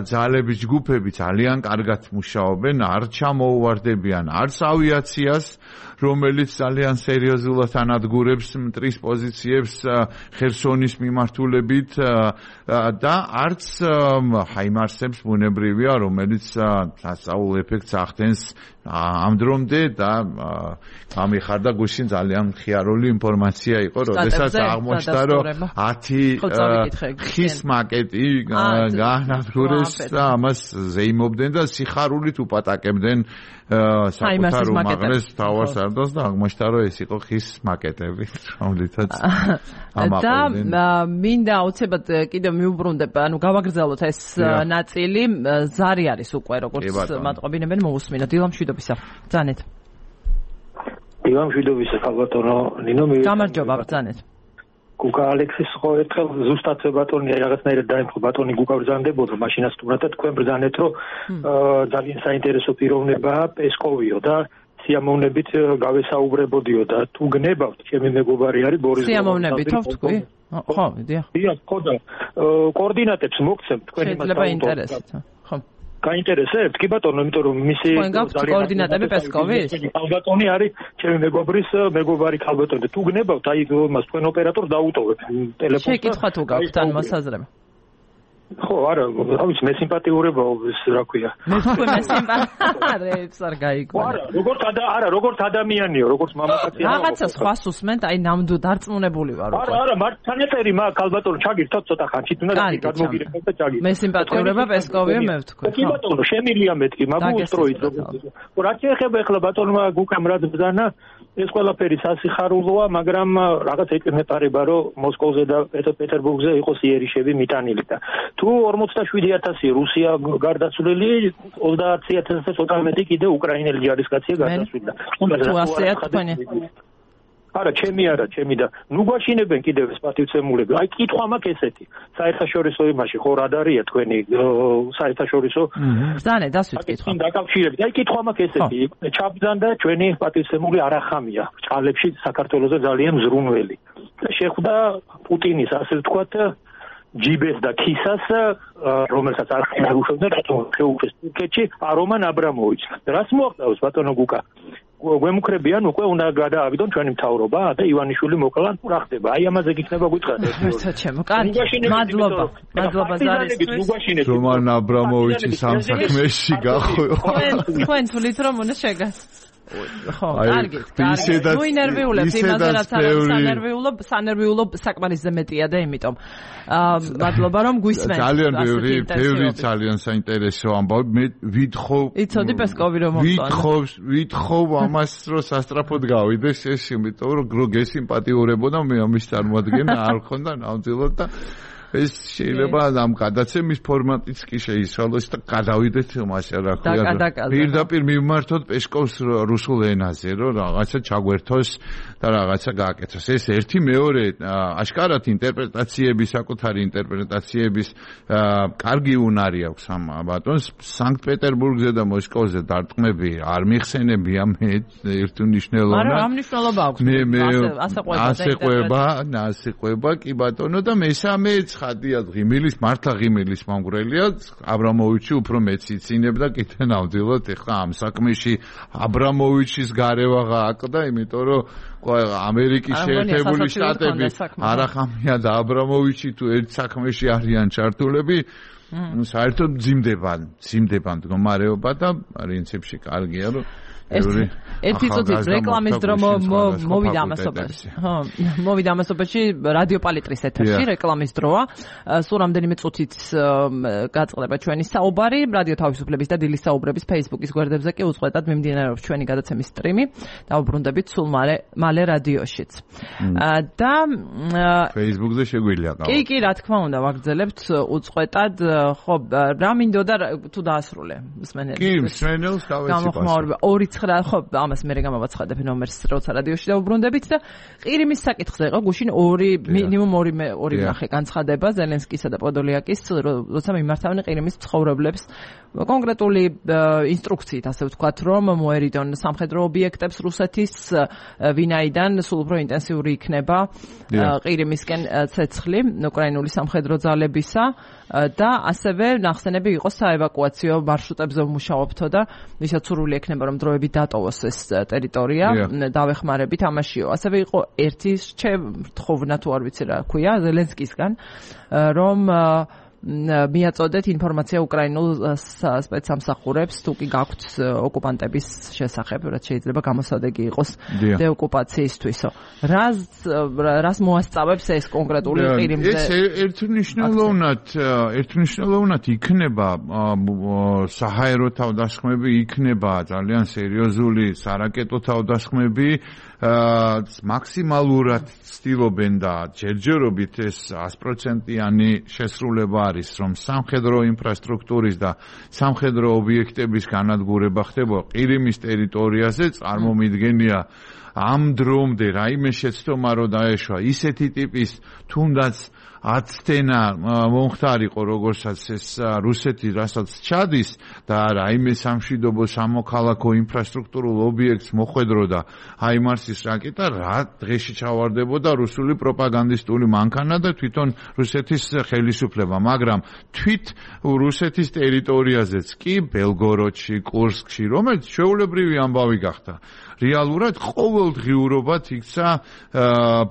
Speaker 5: ძალების ჯგუფები ძალიან კარგად მუშაობენ, არ ჩამოუვარდებიან არც ავიაციას, რომელიც ძალიან სერიოზულად ანადგურებს მტრის პოზიციებს ხერსონის მიმართულებით და არც ჰაიმარსებს ბუნებრივია, რომელიც სასწაულ ეფექტს ახდენს ამ დრომდე და გამიხარდა გუშინ ძალიან ხიარული ინფორმაცია იყო, როდესაც აღმოჩნდა, რომ 10 ხის მაკეტი განადგურეს და ამას ზეიმობდნენ და სიხარულით უპატაკებდნენ საკუთარ უმაღლეს თავარსარდალს და აღმოჩნდა, რომ ეს იყო ხის მაკეტები, რომლითაც ამაყობდნენ.
Speaker 1: და მინდა აუცილებლად კიდევ მიუბრუნდებ, ანუ გავაგრძელოთ ეს ნაწილი, ზარი არის უკვე როგორც მატყობინებენ მოусმინოთ. დილამშვიდობისა. ბრძანეთ.
Speaker 6: დილამშვიდობისა, ხალბატონო ნინო მე.
Speaker 1: გამარჯობა, ბრძანეთ.
Speaker 6: გუკა ალექსის ხო ერთხელ ზუსტად ბატონი რაღაცნაირად დაემთხვა ბატონი გუკა ბრძანდებოდა მაშინაც თუმცა თქვენ ბრძანეთ რომ ძალიან საინტერესო პიროვნებაა პესკოვიო და სიამოვნებით გავესაუბრებოდიო და თუ გნებავთ, ჩემი მეგობარი არის ბორის
Speaker 1: სიამოვნებით ხო თქვი? ხო, დიახ.
Speaker 6: დიახ, ხო და კოორდინატებს მოგცემ თქვენი მასალა.
Speaker 1: შეიძლება ინტერესით, ხო.
Speaker 6: გაინტერესებთ? კი ბატონო, იმიტომ რომ მისი
Speaker 1: კოორდინატები პესკოვის?
Speaker 6: ქალბატონი არის ჩემი მეგობარი ქალბატონი და თუ გნებავთ, აი მას თქვენ ოპერატორს დაუტოვებ ტელეფონს.
Speaker 1: შეკითხვა თუ გაქვთ ან მოსაზრება?
Speaker 6: ხო, არა, ავიც მე სიმპათიურებაო, რა ქვია.
Speaker 1: მე თქვენ მე სიმპათიურებს არ გაიგო.
Speaker 6: როგორც ადამიანიო, როგორც მამაკაცია.
Speaker 1: რაღაცა სხვას უსმენთ, აი ნამდვილად დარწმუნებული ვარ უკვე.
Speaker 6: არა, მართლანეთერი მაგ ქალბატონო ჩაგირთოთ ცოტა ხანში, თუნდაც გადმოგირეკავთ და ჩაგირთოთ.
Speaker 1: მე სიმპათიურება პესკოვია მე ვთქვი.
Speaker 6: კი ბატონო, შემილია მეთქი, მაგუსტროით. რაც ეხება ახლა ბატონმა გუკამ რაც ბძანა, ეს ყველაფერი სასიხარულოა, მაგრამ რაღაც ეკნეტარება, რომ მოსკოვზე და პეტერბურგზე იყოს იერიშები მიტანილი და თუ 47,000 რუსია გარდაცვლილი, 30,000-ზე ცოტა მეტი კიდე უკრაინელი ჯარისკაცია გარდაცვლილი.
Speaker 1: თუ ასეა თქვენი?
Speaker 6: არა, ჩემი და ნუ გვაშინებენ კიდევ ეს პატივცემულები. აი კითხვა მაქვს ესეთი. საერთაშორისო იმაში ხო რადარია თქვენი საერთაშორისო?
Speaker 1: ბრძანე დასვით კითხვა.
Speaker 6: დაკავშირებით. აი კითხვა მაქვს ესეთი. ჩაბრძანდა ჩვენი პატივცემული არახამია. ჭალებში საქართველოზე ძალიან მზრუნველი. შეხვდა პუტინის ასე ვთქვათ ჯიბეს და ქისას, რომელსაც არ ხერხებდა რატომ შეუშვეს თურქეთში არომან აბრამოვიჩს. რას მოახდავს ბატონო გუკა? გვემუქრებიან უკვე უნდა გადაავიდონ ჩვენი მთავრობა და ივანიშვილი მოკლან თუ რა ხდება? აი ამაზე გიქნება გითხრათ ეს.
Speaker 1: ჩემო, კარგი. მადლობა ზარისთვის.
Speaker 5: რომან აბრამოვიჩის ამ საქმეში გახვეო.
Speaker 1: თქვენ თulit რომ უნდა შეგას. ხო, კარგი. ნუ ინერვიულებ იმაზე რაც არის სანერვიულო საკმარისზე მეტია და იმიტომ მადლობა რომ გვისმენთ.
Speaker 5: ძალიან ბევრი ძალიან საინტერესო ამბავი. მე ვითხოვ
Speaker 1: იცოდი პესკოვი რომ მომწონს.
Speaker 5: ვითხოვ ამას რომ სასტრაფოდ გავიდეს ეს, იმიტომ რომ გესიმპათიურებოდა მე ამის წარმოადგენა არ ხონდა ნამდვილად და ეს შეიძლება ამ გადაცემის ფორმატიც კი შეიცვალოს და გადავიდეთ მასე რა ქვია. პირდაპირ მივმართოთ პესკოვს რუსულ ენაზე, რომ რაღაცა ჩაგვერთოს და რაღაცა გააკეთოს. ეს ერთი, მეორე, აშკარად ინტერპრეტაციების, საკუთარი ინტერპრეტაციების კარგი უნარი აქვს ამ ბატონს. სანქტ-პეტერბურგზე და მოსკოვზე დარტყმები არ მიხსენებია მე ერთუნიშნელოვნად.
Speaker 1: არა, რა მნიშვნელობა აქვს?
Speaker 5: ასე ყვება, კი ბატონო და მესამე ხადია ღიმილის, მართლა ღიმილის მომგვრელია, აბრამოვიჩი უფრო მეციცინებდა კიდე ნამდვილად ეხლა ამ საქმეში აბრამოვიჩის გარევაღა აკდა, იმიტომ რომ ამერიკის შეერთებული შტატები არახამია და აბრამოვიჩი თუ ერთ საქმეში არიან ჩართულები, საერთოდ მძიმდება მდგომარეობა და პრინციპში კარგია რომ
Speaker 1: ერთი წუთის რეკლამის დრო მოვიდა ამასობაში. ხო, მოვიდა ამასობაში რადიო პალიტრის ეთერში რეკლამის დროა. სულ რამდენიმე წუთით გაწყდება ჩვენი საუბარი, რადიო თავისუფლების და დილის საუბრების Facebook-ის გვერდებზე კი უწყვეტად მიმდინარეობს ჩვენი გადაცემის სტრიმი. დავუბრუნდებით სულ მალე რადიოშიც. და
Speaker 5: Facebook-ზე შეგვიძლია გავაკეთოთ.
Speaker 1: კი, რა თქმა უნდა, ვაგრძელებთ უწყვეტად. ხო, რა მინდოდა თუ დაასრულე მსმენელს?
Speaker 5: კი, მსმენელს
Speaker 1: გამოგმაურება 2-9 ხო ამას მე გამოვაცხადებ ნომერს როცა რადიოში დავუბრუნდებით და ყირიმის საკითხზე იყო გუშინ მინიმუმ 2 ნახე განცხადება ზელენსკისა და პოდოლიაკის როცა მიმართავენ ყირიმის ცხოვრებლებს კონკრეტული ინსტრუქციით ასე ვთქვათ რომ მოერიდონ სამხედრო ობიექტებს რუსეთის ვინაიდან სულ უფრო ინტენსიური იქნება ყირიმისკენ ცეცხლი უკრაინული სამხედრო ძალებისა და ასევე ნახსენები იყო საევაკუაციო მარშრუტებზე ვმუშაობთო და ვისაც სურვილი ექნება რომ დროებით დატოვოს ეს ტერიტორია დავეხმარებით ამაშიო. ასევე იყო ერთი რთხოვნა თუ არ ვიცი რა ქვია ზელენსკისგან რომ მიაწოდეთ ინფორმაცია უკრაინულ სპეცსამსახურებს თუ კი გაქვთ ოკუპანტების შესახებ, რაც შეიძლება გამოსადეგი იყოს დეოკუპაციისთვისო. რას მოასწავებს ეს კონკრეტული ყირიმზე?
Speaker 5: ეს ერთნიშნულოვნად იქნება საჰაერო თავდასხმები, იქნება ძალიან სერიოზული სარაკეტო თავდასხმები, მაქსიმალურად ცდილობენ და ჯერჯერობით ეს 100%-იანი შესრულება არის, რომ სამხედრო ინფრასტრუქტურის და სამხედრო ობიექტების განადგურება ხდება ყირიმის ტერიტორიაზე, წარმომიდგენია ამ დრომდე რაიმე შეცდომა რო დაეშვა ისეთი ტიპის თუნდაც აცდენა მომხდარიყო როგორცაც ეს რუსეთი რასაც ჩადის და რაიმე სამშვიდობო სამოქალაქო ინფრასტრუქტურულ ობიექტს მოხვედროდა ჰაიმარსის რაკეტა რა დღეში ჩავარდებოდა რუსული პროპაგანდისტული მანქანა და თვითონ რუსეთის ხელისუფლება მაგრამ თვით რუსეთის ტერიტორიაზეც კი ბელგოროდში კურსკში რომელიც შეულებრივი ამბავი გახდა რეალურად ყოველდღიურობად იქცა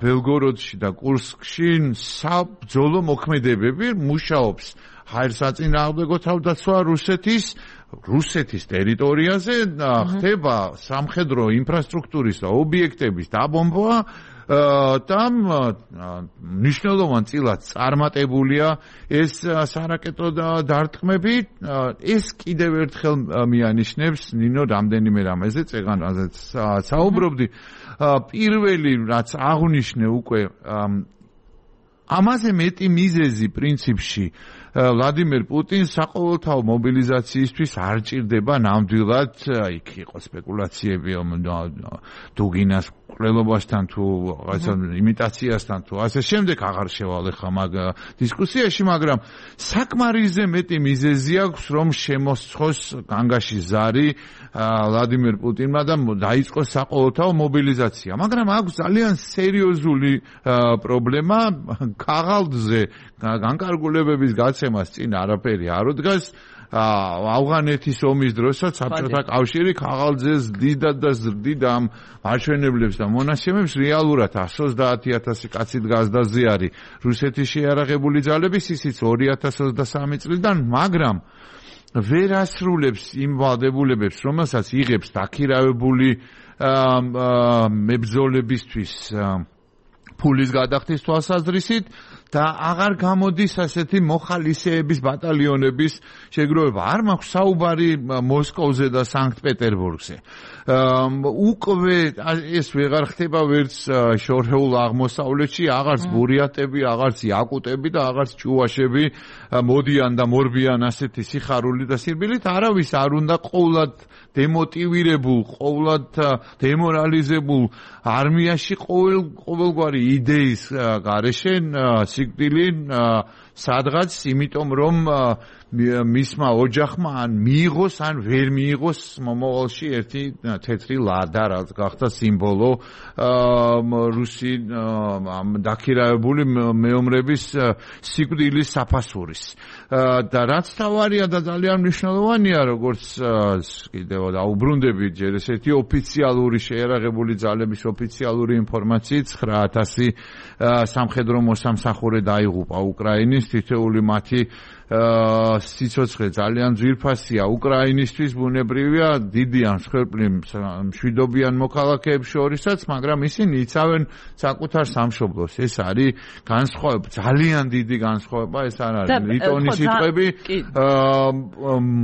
Speaker 5: ბელგოროდში და კურსკში საბრძოლო მოქმედებები მუშაობს ჰაერსაწინააღმდეგო თავდაცვა რუსეთის ტერიტორიაზე ხდება სამხედრო ინფრასტრუქტურის და ობიექტების დაბომბვა და მნიშვნელოვან წილად წარმატებულია ეს სარაკეტო დარტყმები ეს კიდევ ერთხელ მიანიშნებს ნინო რამდენიმე რამეზე წეგან რაზეც საუბრობდი პირველი რაც აღნიშნე უკვე ამაზე მეტი მიზეზი პრინციპში ვლადიმერ პუტინს საყოველთაო მობილიზაციისთვის არ ჭირდება ნამდვილად იქ იყო სპეკულაციები დუგინას ყრელობასთან თუ რაღაცა იმიტაციასთან თუ ასე შემდეგ აღარ შევალ ახლა მაგ დისკუსიაში მაგრამ საკმარისზე მეტი მიზეზი აქვს რომ შემოსცოს განგაში ზარი ვლადიმერ პუტინმა და დაიწყოს საყოველთაო მობილიზაცია მაგრამ აქვს ძალიან სერიოზული პრობლემა ქაღალდზე განკარგულებების გაცემას წინ არაფერი არ უდგას ავღანეთის ომის დროსაც საბჭოთა კავშირი ქაღალდზე ზრდიდა და ზრდიდა ამ მაჩვენებლებს და მონაცემებს რეალურად 130,000 კაცი დგასდაზე არის რუსეთის შეიარაღებული ძალების ისიც 2023 წლიდან მაგრამ ვერ ასრულებს იმ ვალდებულებებს რომელსაც იღებს დაქირავებული მებრძოლებისთვის ფულის გადახდის თვალსაზრისით და აღარ გამოდის ასეთი მოხალისეების ბატალიონების შეგროვება. არ მაქვს საუბარი მოსკოვზე და სანქტ-პეტერბურგზე. უკვე ეს ვეღარ ხდება ვერც შორეულ აღმოსავლეთში, აღარც ბურიატები, აღარც იაკუტები და აღარც ჭუვაშები მოდიან და მორბიან ასეთი სიხარული და სირბილით. არავის არ უნდა ყოვლად დემოტივირებულ, ყოვლად დემორალიზებულ არმიაში ყოველგვარი იდეის გარეშე სიკვდილი სადღაც იმიტომ რომ მისმა ოჯახმა ან მიიღოს ან ვერ მიიღოს მომავალში ერთი თეთრი ლადა რაც გახდა სიმბოლო რუსი დაქირავებული მეომრების სიკვდილის საფასურის და რაც თავარია და ძალიან მნიშვნელოვანია როგორც კიდევ დაუბრუნდები ჯერ ესეთი ოფიციალური შეიარაღებული ძალების ოფიციალური ინფორმაციით 9,000 სამხედრო მოსამსახურე დაიღუპა უკრაინის თითოეული მათი სიცოცხლე ძალიან ძვირფასია უკრაინისთვის ბუნებრივია დიდი ან მსხვერპლი მშვიდობიან მოქალაქეებს შორისაც მაგრამ ისინი იცავენ საკუთარ სამშობლოს ეს არის განსხვავება ძალიან დიდი განსხვავება ეს არ არის ლიტონის სიტყვები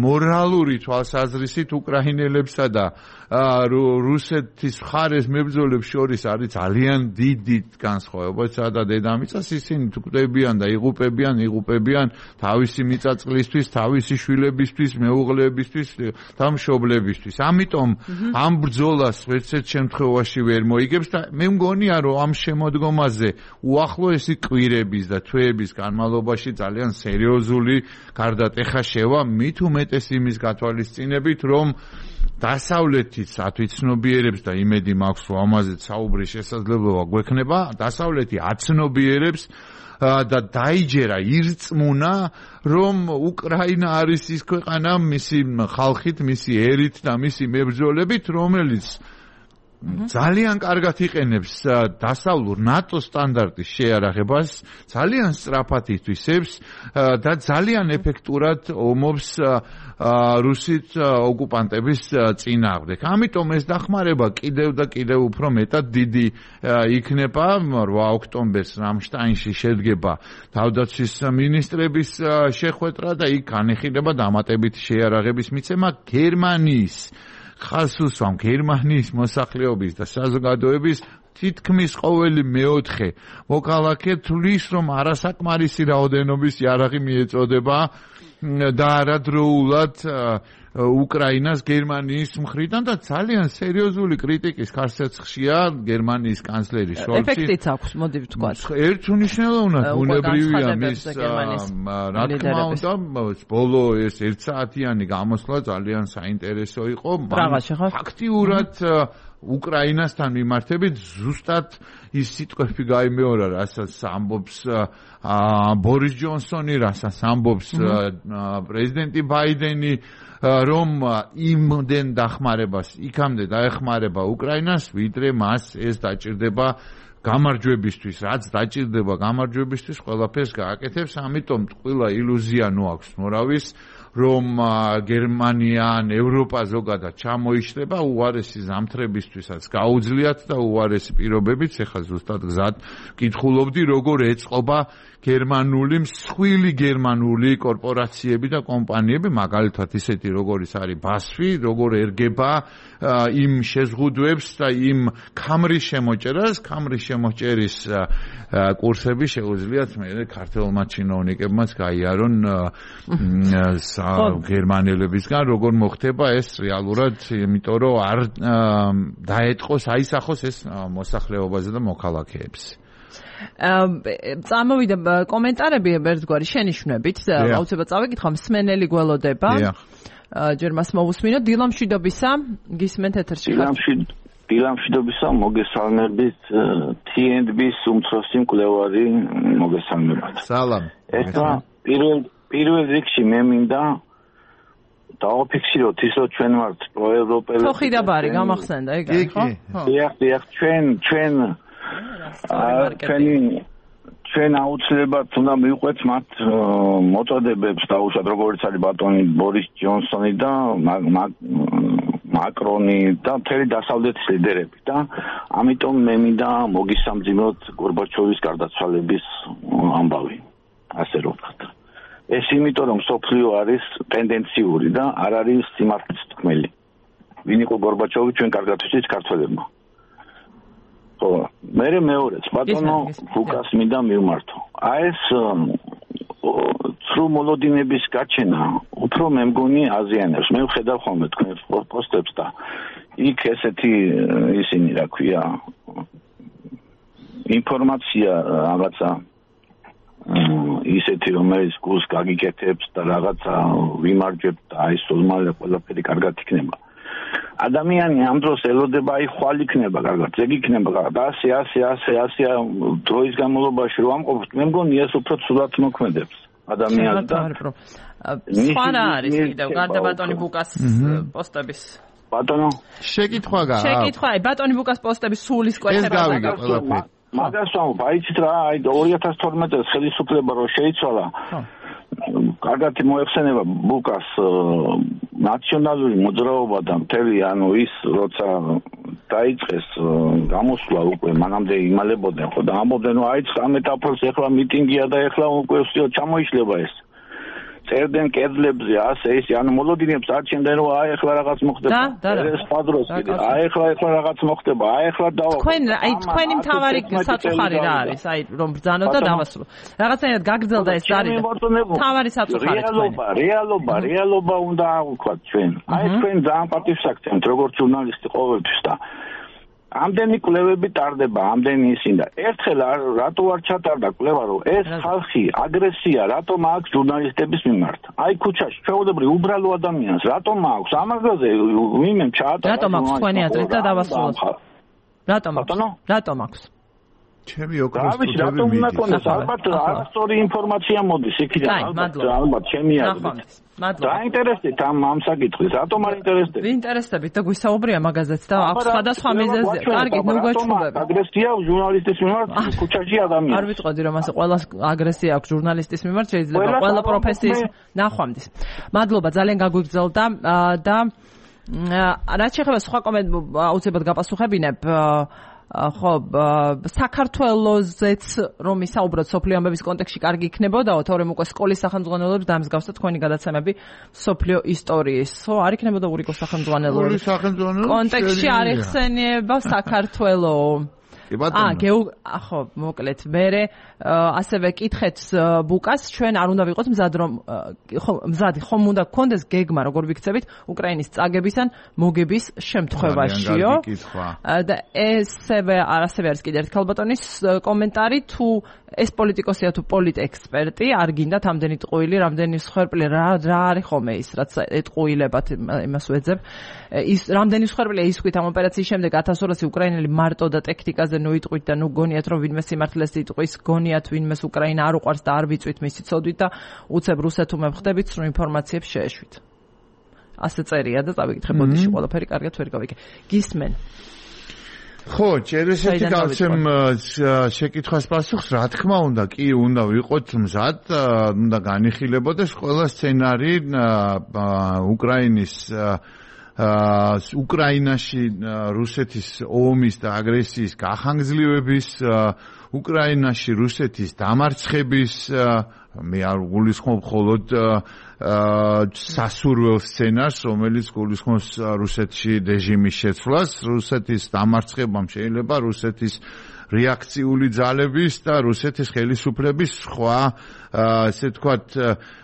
Speaker 5: მორალური თვალსაზრისით უკრაინელებსა და რუსეთის მხარეს მებრძოლებს შორის არის ძალიან დიდი განსხვავება სადა დედამიწას ისინი თკვდებიან და იღუპებიან თავისი მიწაწყლისთვის, თავისი შვილებისთვის, მეუღლეებისთვის და მშობლებისთვის. ამიტომ ამ ბრძოლას ვერცერთ შემთხვევაში ვერ მოიგებს და მე მგონია რომ ამ შემოდგომაზე უახლოესი კვირების და თვეების განმავლობაში ძალიან სერიოზული გარდატეხა შევა მით უმეტეს იმის გათვალისწინებით რომ დასავლეთიც ათვიცნობიერებს და იმედი მაქვს რომ ამაზე საუბრის შესაძლებლობა გვექნება დასავლეთი აცნობიერებს და დაიჯერა ირწმუნა რომ უკრაინა არის ის ქვეყანა მისი ხალხით, მისი ერით და მისი მებრძოლებით რომელიც ძალიან კარგად იყენებს დასავლურ ნატო სტანდარტის შეიარაღებას, ძალიან სწრაფად ითვისებს და ძალიან ეფექტურად ომობს რუსით ოკუპანტების წინააღმდეგ. ამიტომ ეს დახმარება კიდევ და კიდევ უფრო მეტად დიდი იქნება. 8 ოქტომბერს რამშტაინში შედგება თავდაცვის მინისტრების შეხვედრა და იქ განეხილება დამატებითი შეიარაღების მიცემა გერმანიის ხალხსუსამ გერმანიის მოსახლეობის და საზოგადოების თითქმის ყოველი მეოთხე მოქალაქე თვლის რომ არასაკმარისი რაოდენობის იარაღი მიეწოდება და არადროულად უკრაინას გერმანიის მხრიდან და ძალიან სერიოზული კრიტიკის ხარსცხვია გერმანიის კანცლერი შოლცი.
Speaker 1: ეფექტიც აქვს, მოდი ვთქვათ.
Speaker 5: ერთუნიშნელოვნად ბუნებრივია მის რა თქმა უნდა ბოლო ეს 1 საათიანი გამოსვლა ძალიან საინტერესო იყო. ფაქტიურად უკრაინასთან მიმართებით ზუსტად ის სიტყვები გაიმეორა, რასაც ამბობს ბორის ჯონსონი, რასაც ამბობს პრეზიდენტი ბაიდენი, რომ იმდენ დახმარებას იქამდე დაეხმარება უკრაინას, ვიდრე მას ეს დაჭირდება გამარჯვებისთვის, რაც დაჭირდება გამარჯვებისთვის, ყველაფერს გააკეთებს, ამიტომ ყველა ილუზია ნოაქვს მორავის, რომ გერმანია ან ევროპა ზოგადად ჩამოიშლება უარესი ზამთრებისთვისაც გაუძლიათ და უარესი პირობებით, ეხლა ზუსტად გზად კითხულობდი, როგორ ეწყობა გერმანული მსხვილი გერმანული კორპორაციები და კომპანიები, მაგალითად ისეთი როგორიც არის BASF, როგორ ერგება იმ შეზღუდვებს და იმ ქამრის შემოჭერას, ქამრის შემოჭერის კურსები შეუძლიათ მე ქართველმა ჩინოვნიკებმაც გაიარონ გერმანელებისგან, როგორ მოხდება ეს რეალურად, იმიტომ რომ არ დაეტყოს, აისახოს ეს მოსახლეობაზე და მოქალაქეებს.
Speaker 1: წამოვიდა კომენტარები ერთგვარი შენიშვნებით, აუცილებლად წავეკითხა, მსმენელი გველოდება. ჯერ მას მოვუსმინოთ, დილამშვიდობისა, გისმენთ ეთერში.
Speaker 7: დილამშვიდობისა, მოგესალმებით, TNB-ს უმცროსი მკვლევარი, მოგესალმებით.
Speaker 5: სალამ.
Speaker 7: ეხლა პირველ რიგში მე მინდა დავაფიქსიროთ ის, რომ ჩვენ ვართ პროევროპელები.
Speaker 1: თოხი და ბარი გამახსენდა, ეგ არის, ხო?
Speaker 7: დიახ, ჩვენ აუცილებლად უნდა მივყვეთ მათ მოწოდებებს დაუშვათ, როგორც არის ბატონი ბორის ჯონსონი და მაკრონი და მთელი დასავლეთის ლიდერები და ამიტომ მე მინდა მოგისამძიმოთ გორბაჩოვის გარდაცვალების ამბავი, ასე რომ ვთქვათ. ეს იმიტომ რომ სოფლიო არის ტენდენციური და არ არის სიმართლის თქმელი. ვინ იყო გორბაჩოვი ჩვენ კარგად ვიცით ქართველებმა. მე მეორეც ბატონო ფუკას მინდა მივმართო. ეს ცრუ მოლოდინების გაჩენა უფრო მე მგონი აზიანებს. მე ვხედავ ხოლმე თქვენ პოსტებს და იქ ესეთი ისინი რა ქვია ინფორმაცია რაღაცა ისეთი რომელიც გულს გაგიკეთებს და რაღაცა ვიმარჯვებთ და აი სულმალე ყველაფერი კარგად იქნება. ადამიანი ამ დროს ელოდება აი ხვალ იქნება კარგად, ეგ იქნება კარგად, ასე დროის განმავლობაში რომ ამყოფთ, მე მგონი ეს უფრო ცუდად მოქმედებს ადამიანს და
Speaker 1: სხვა რა არის კიდევ გარდა ბატონი ბუკას პოსტების
Speaker 5: ბატონო შეკითხვა
Speaker 1: ბატონი ბუკას პოსტების სულის კვეთება
Speaker 7: მაგას ვამბობ, აიცით რა, აი 2012 წელს ხელისუფლება რო შეიცვალა კარგად მოეხსენება ბუკას ნაციონალური მოძრაობა და მთელი ანუ ის როცა დაიწყეს გამოსვლა უკვე მანამდე იმალებოდნენ ხო და ამბობდნენ რომ აი ამ ეტაპს ეხლა მიტინგია და ეხლა უკვე ჩამოიშლება ეს წერდნენ კედლებზე ასე ის ანუ მოლოდინებს არჩენდნენ რომ აი ეხლა რაღაც მოხდება ეს პადროს აი ეხლა რაღაც მოხდება აი ეხლა დავა
Speaker 1: თქვენი მთავარი საწუხარი რა არის აი რომ ბრძანოთ და დავასრულო რაღაცნაირად გაგრძელდა ეს არის მთავარი საწუხარი
Speaker 7: რეალობა უნდა აღვქვათ ჩვენ აი თქვენ ძალიან პატივს აქცევთ როგორც ჟურნალისტი ყოველთვის და ამდენი კვლევები ტარდება, ამდენი ისინი და ერთხელ რატო არ ჩატარდა კვლევა რომ ეს ხალხი აგრესია რატომ აქვს ჟურნალისტების მიმართ? აი ქუჩაში ჩვეულებრივ უბრალო ადამიანს რატომ აქვს? ამაზე ვინმე ჩაატარა.
Speaker 1: რატომ აქვს თქვენი აზრით და დავასრულოთ. რატომ აქვს?
Speaker 5: ჩემი ოქროს
Speaker 7: რატომ უნდა კონდეს? ალბათ არასწორი ინფორმაცია მოდის იქიდან ალბათ ჩემი აზრით. დაინტერესდით ამ საკითხის, რატომ არ ინტერესდებით?
Speaker 1: ვინტერესდებით და გვისაუბრია მაგაზეც და აქვს სხვადასხვა მიზეზი. კარგი, ნუ გვეცნობები.
Speaker 7: აგრესია ჟურნალისტის მიმართ ქუჩაში ადამიანს.
Speaker 1: არ ვიტყოდი რომ ასე ყველა აგრესია აქვს ჟურნალისტის მიმართ, შეიძლება ყველა პროფესიის ნახვამდის. მადლობა, ძალიან გაგვიგრძელდა და რაც შეეხება სხვა კომენტარებს აუცილებლად გაპასუხებინებ. ხო, საქართველოზეც რომ ისაუბროთ სოფლიო ამბების კონტექსტში კარგი იქნებოდაო, თორემ უკვე სკოლის სახელმძღვანელოებს დამსგავსად თქვენი გადაცემები სოფლიო ისტორიის. ხო, არ იქნებოდა ურიკოს სახელმძღვანელოების კონტექსტში არ იხსენიება საქართველო.
Speaker 5: კი ბატონო.
Speaker 1: ხო, მოკლედ. მე ასევე კითხეთ ბუკას, ჩვენ არ უნდა ვიყოთ მზად რომ ხომ უნდა გქონდეს გეგმა, როგორ ვიქცებით უკრაინის წაგების ან მოგების შემთხვევაშიო. და ასევე არის კიდევ ერთი ქალბატონის კომენტარი, თუ ეს პოლიტიკოსია თუ პოლიტექსპერტი, არ გინდათ ამდენი ტყუილი, რამდენი მსხვერპლი, რა არის ხოლმე ის, რაც ეტყუილებათ იმას ვეძებ. ის რამდენი მსხვერპლია ისქვით ამ ოპერაციის შემდეგ 1200 უკრაინელი მარტო და ტექნიკაზე ნუ იტყვით და ნუ გონიათ რომ ვინმე სიმართლეს იტყვის, გონიათ ვინმეს უკრაინა არ უყვარს და არ ვიწვით მისი ცოდვით და უცებ რუსეთუმე ხდებით სრულ ინფორმაციებს შეეშვით. ასე წერია და წავიკითხე ბოდიში ყველაფერი კარგად ვერ გავიგე. გისმენ.
Speaker 5: ხო, ჭერესეთი გავცემ შეკითხვას პასუხს, რა თქმა უნდა, კი უნდა ვიყოთ მზად, უნდა განიხილებოდეს ყველა სცენარი უკრაინაში რუსეთის ომის და აგრესიის გახანგრძლივების, უკრაინაში რუსეთის დამარცხების, მე არ გულისხმობ მხოლოდ სასურველ სცენარს, რომელიც გულისხმობს რუსეთში რეჟიმის შეცვლას, რუსეთის დამარცხებამ შეიძლება რუსეთის რეაქციული ძალების და რუსეთის ხელისუფლების სხვა ესე ვთქვათ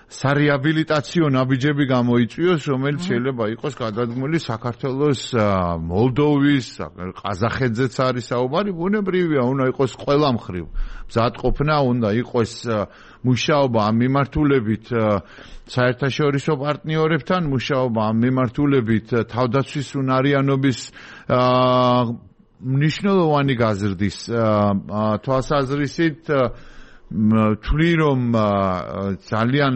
Speaker 5: სარეაბილიტაციო ნაბიჯები გამოიწვიოს, რომელიც შეიძლება იყოს გადადგმული საქართველოს, მოლდოვის, ყაზახეთზეც არის საუბარი, ბუნებრივია, უნდა იყოს ყველა მხრივ მზადყოფნა, უნდა იყოს მუშაობა ამ მიმართულებით საერთაშორისო პარტნიორებთან, მუშაობა ამ მიმართულებით თავდაცვის უნარიანობის მნიშვნელოვანი გაზრდის თვალსაზრისით თვლი რომ ძალიან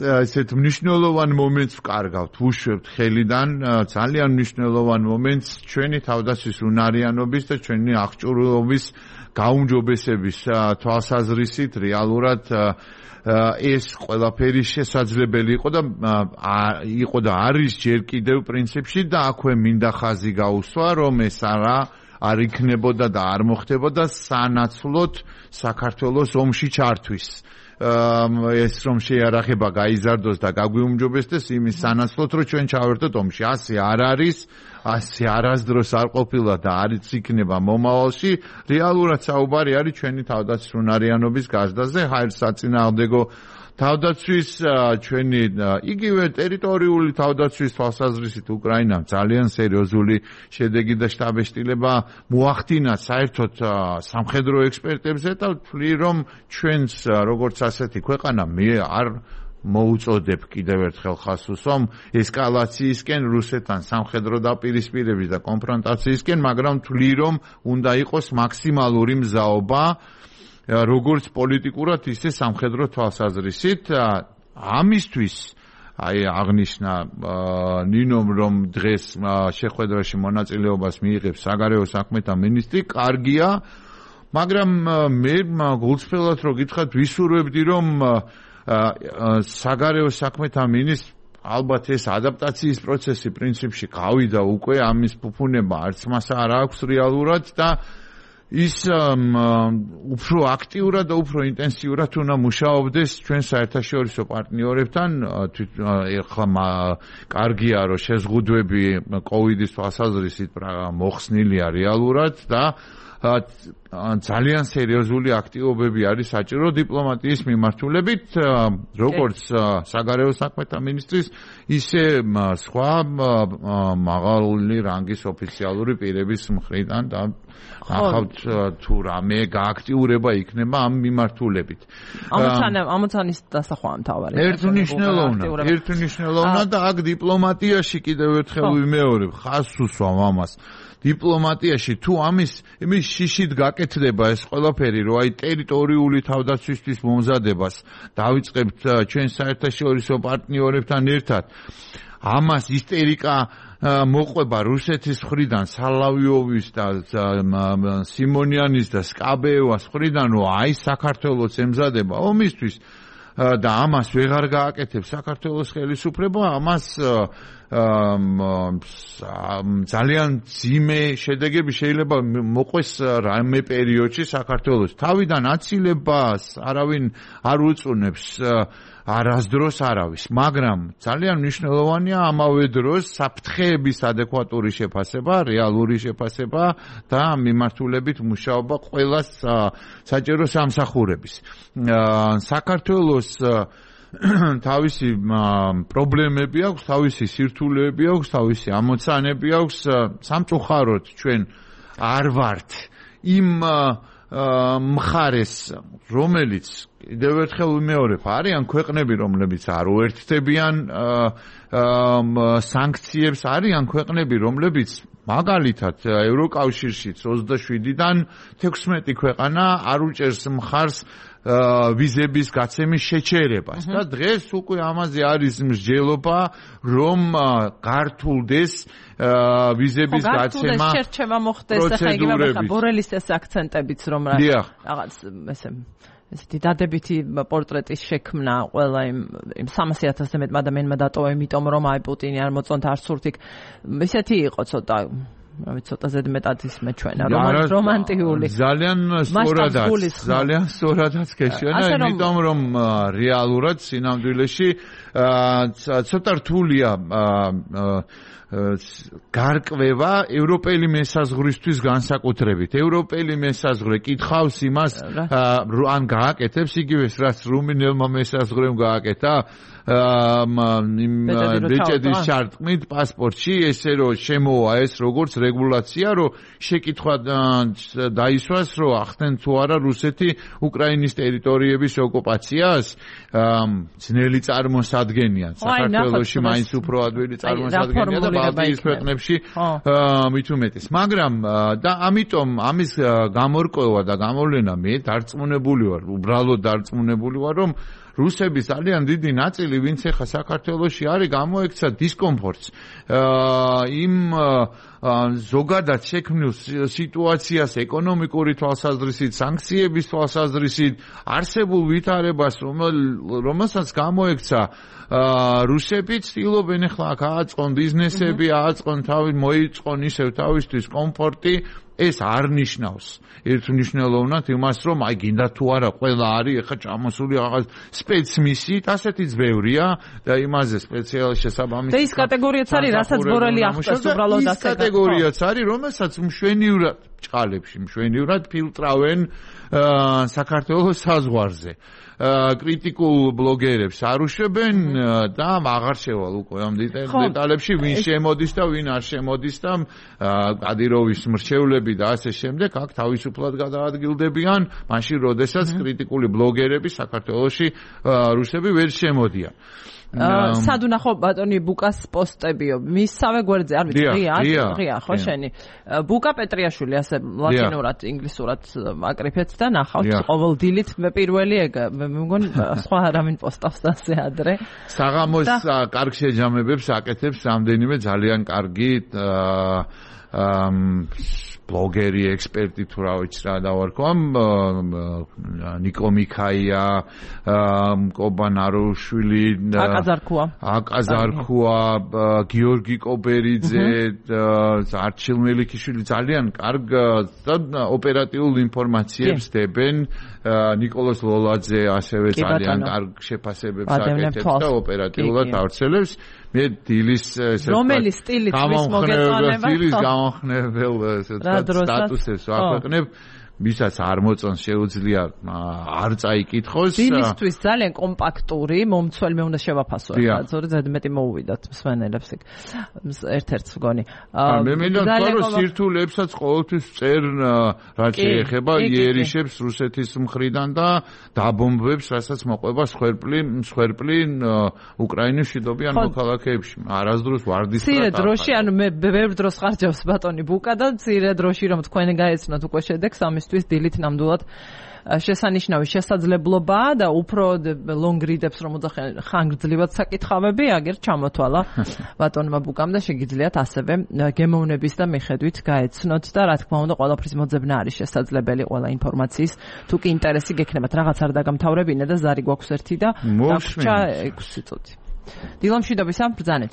Speaker 5: ესეთ მნიშვნელოვან მომენტს ვკარგავთ, ვუშვებთ ხელიდან ძალიან მნიშვნელოვან მომენტს ჩვენი თავდაცვის უნარიანობის და ჩვენი აღჭურვილობის გაუმჯობესების თვალსაზრისით რეალურად ეს ყველაფერი შესაძლებელი იყო და არის ჯერ კიდევ პრინციპში და აქვე მინდა ხაზი გაუსვა, რომ ეს არ იქნებოდა და არ მოხდებოდა სანაცვლოდ საქართველოს ომში ჩართვის. ეს რომ შეიარაღება გაიზარდოს და გაგვიუმჯობესდეს იმის სანაცვლოდ, რომ ჩვენ ჩავერთოთ ომში. ასე არ არის, ასე არასდროს არ ყოფილა და არც იქნება მომავალში. რეალურად საუბარი არის ჩვენი თავდაცვის უნარიანობის გაზრდაზე, საწინააღმდეგო თავდაცვის, ჩვენი იგივე ტერიტორიული თავდაცვის თვალსაზრისით უკრაინამ ძალიან სერიოზული შედეგი და შტაბეშტილება მოახდინა საერთოდ სამხედრო ექსპერტებზე და ვთვლი რომ ჩვენს როგორც ასეთი ქვეყანა მე არ მოუწოდებ კიდევ ერთხელ ხაზს უსვამ ესკალაციისკენ რუსეთთან სამხედრო დაპირისპირების და კონფრონტაციისკენ, მაგრამ ვთვლი რომ უნდა იყოს მაქსიმალური მზაობა როგორც პოლიტიკურად, ისე სამხედრო თვალსაზრისით. ამისთვის აღნიშნა ნინომ რომ დღეს შეხვედრაში მონაწილეობას მიიღებს საგარეო საქმეთა მინისტრი, კარგია, მაგრამ მე გულწრფელად რო გითხრათ, ვისურვებდი რომ საგარეო საქმეთა მინისტრი ალბათ ეს ადაპტაციის პროცესი პრინციპში გავიდა უკვე, ამის ფუფუნება არც მას არ აქვს რეალურად და ის უფრო აქტიურად და უფრო ინტენსიურად უნდა მუშაობდეს ჩვენ საერთაშორისო პარტნიორებთან. ეხლა კარგია რომ შეზღუდვები კოვიდის თვალსაზრისით მოხსნილია რეალურად და ძალიან სერიოზული აქტივობები არის საჭირო დიპლომატიის მიმართულებით, როგორც საგარეო საქმეთა მინისტრის, ისე სხვა მაღალი რანგის ოფიციალური პირების მხრიდან და ნახავთ თუ რამე გააქტიურება იქნება ამ მიმართულებით.
Speaker 1: ამოცანის დასახვა მთავარი.
Speaker 5: ერთმნიშვნელოვნად და აქ დიპლომატიაში კიდევ ერთხელ ვიმეორებ, ხაზს უსვამ ამას. დიპლომატიაში თუ ამის შიშით გაკეთდება ეს ყველაფერი, რომ აი ტერიტორიული თავდაცვისთვის მომზადებას დავიწყებთ ჩვენ საერთაშორისო პარტნიორებთან ერთად, ამას ისტერიკა მოყვება რუსეთის მხრიდან, სალავიოვის და სიმონიანის და სკაბეევას მხრიდან, რომ აი საქართველოს ემზადება ომისთვის და ამას ვეღარ გააკეთებს საქართველოს ხელისუფლება, ამას ძალიან ძიმე შედეგები შეიძლება მოყვეს რამე პერიოდში საქართველოს. თავიდან აცილებას არავინ არ უწუნებს არასდროს არავის, მაგრამ ძალიან მნიშვნელოვანია ამავე დროს საფრთხეების ადეკვატური შეფასება, რეალური შეფასება და მიმართულებით მუშაობა ყველა საჭირო სამსახურების. საქართველოს თავისი პრობლემები აქვს, თავისი სირთულეები აქვს, თავისი ამოცანები აქვს. სამწუხაროდ ჩვენ არ ვართ იმ მხარეს, რომელიც კიდევ ერთხელ ვიმეორებ, არიან ქვეყნები, რომლებიც არ უერთდებიან სანქციებს, არიან ქვეყნები, რომლებიც მაგალითად ევროკავშირშიც 27-დან 16 ქვეყანა არ უჭერს მხარს ვიზების გაცემის შეჩერებას და დღეს უკვე ამაზე არის მსჯელობა, რომ გართულდეს ვიზების გაცემა
Speaker 1: შერჩევა მოხდეს, ახლა იგივე ბორელის ეს აქცენტებიც რომ რაღაც ესეთი დადებითი პორტრეტის შექმნა ყველა იმ 300,000-ზე მეტ ადამიანმა დატოვა, იმიტომ რომ აი პუტინი არ მოწონთ არც სურთი. ისეთი იყო ცოტა ცოტა ზედმეტად ისმე ჩვენა რომანტიკული.
Speaker 5: ძალიან სწორადაც გეშენა, იმიტომ რომ რეალურად სინამდვილეში ცოტა რთულია გარკვევა ევროპელი მესაზღვრისთვის განსაკუთრებით. ევროპელი მესაზღვრე კითხავს იმას, ან გააკეთებს იგივეს, რაც რუმინელმა მესაზღვრემ გააკეთა ბეჭედის ჩარტყმით პასპორტში, ესე რომ შემოვა ეს როგორც რეგულაცია, რომ შეკითხვა დაისვას, რომ ახდენ თუ არა რუსეთი უკრაინის ტერიტორიების ოკუპაციას, ძნელი წარმოსადგენია. საქართველოში მაინც უფრო ადვილი წარმოსადგენია და ბალტიის ქვეყნებში მით უმეტეს. მაგრამ და ამიტომ ამის გამორკვევა და გამოვლენა მე დარწმუნებული ვარ, უბრალოდ დარწმუნებული ვარ, რომ რუსების ძალიან დიდი ნაწილი, ვინც ახლა საქართველოში არის, გამოექცა დისკომფორტს იმ ზოგადად შექმნილ სიტუაციას ეკონომიკური თვალსაზრისით, სანქციების თვალსაზრისით, არსებულ ვითარებას, რომელსაც გამოექცა რუსები, ცდილობენ ახლა აქ ააწყონ ბიზნესები, ააწყონ მოიწყონ ისევ თავისთვის კომფორტი. ეს არ ნიშნავს ერთმნიშვნელოვნად იმას, რომ აი გინდა თუ არა ყველა არის ახლა ჩამოსული რაღაც სპეცმისიით, ასეთიც ბევრია და იმაზე სპეციალ შესაბამისი.
Speaker 1: და ის კატეგორიაც არის, რასაც ბორელი ახსენს უბრალოდ ასე.
Speaker 5: ის კატეგორიაც არის, რომელსაც მშვენივრად ჭყალებში, მშვენივრად ფილტრავენ საქართველოს საზღვარზე. კრიტიკულ ბლოგერებს არ უშვებენ და აღარ შევალ უკვე ამ დეტალებში, ვინ შემოდის და ვინ არ შემოდის და კადიროვის მრჩევლები და ასე შემდეგ აქ თავისუფლად გადაადგილდებიან, მაშინ როდესაც კრიტიკული ბლოგერები საქართველოში რუსები ვერ შემოდიან.
Speaker 1: სად უნახო ბატონი ბუკას პოსტებიო მისსავე გვერდზე არ ვიცი ღია ხო შენი ბუკა პეტრიაშვილი ასე ლათინურად ინგლისურად აკრიფეთ და ნახავთ ყოველ დილით მე პირველი ეგ მე მგონი სხვა არავინ პოსტავს ასე ადრე
Speaker 5: საღამოს კარგ შეჯამებებს აკეთებს რამდენიმე ძალიან კარგი ბლოგერი, ექსპერტი თუ რა ვიცი რა დავარქვა, ნიკო მიქაია, კობან აროშვილი, აკაზარქუა, გიორგი კობერიძე, არჩილ მელიქიშვილი ძალიან კარგ და ოპერატიულ ინფორმაციებს დებენ. ნიკოლოზ ლოლაძე ასევე ძალიან კარგ შეფასებებს აკეთებს და ოპერატიულად ავრცელებს. მე დილის
Speaker 1: რომელი სტილით ვის მოგეწონება?
Speaker 5: სტილის გამახნეველ სტატუსებს ვაქვეყნებ, ვისაც არ მოწონს შეუძლია არ წაიკითხოს.
Speaker 1: დილისთვის ძალიან კომპაქტური, მომცველი მე უნდა შევაფასო ახლა, ზედმეტი მოუვიდათ მსმენელებს იქ. ერთ-ერთს მგონი.
Speaker 5: მე მინდა რომ სირთულეებსაც ყოველთვის წერ რაც შეეხება იერიშებს რუსეთის მხრიდან და დაბომბებს, რასაც მოყვება სხვერპლი უკრაინის მშვიდობიან მოქალაქეებში. არასდროს ვარდის
Speaker 1: მცირე დროში, ანუ მე ბევრ დროს ხარჯავს ბატონი ბუკა და მცირე დროში რომ თქვენ გაეცნოთ უკვე შედეგს ამის დილით ნამდვილად შესანიშნავი შესაძლებლობაა და უფრო long read-ებს რომ ხანგრძლივად საკითხავები აგერ ჩამოთვალა ბატონმა ბუკამ და შეგიძლიათ ასევე გემოვნების და მიხედვით გაეცნოთ და რა თქმა უნდა ყველაფრის მოძებნა არის შესაძლებელი ყველა ინფორმაციის თუ კი ინტერესი გექნებათ რაღაც არ დაგამთავრებინა და ზარი გვაქვს ერთი და დაგვრჩა 6 წუთი დილომშვიდობისა ბრძანეთ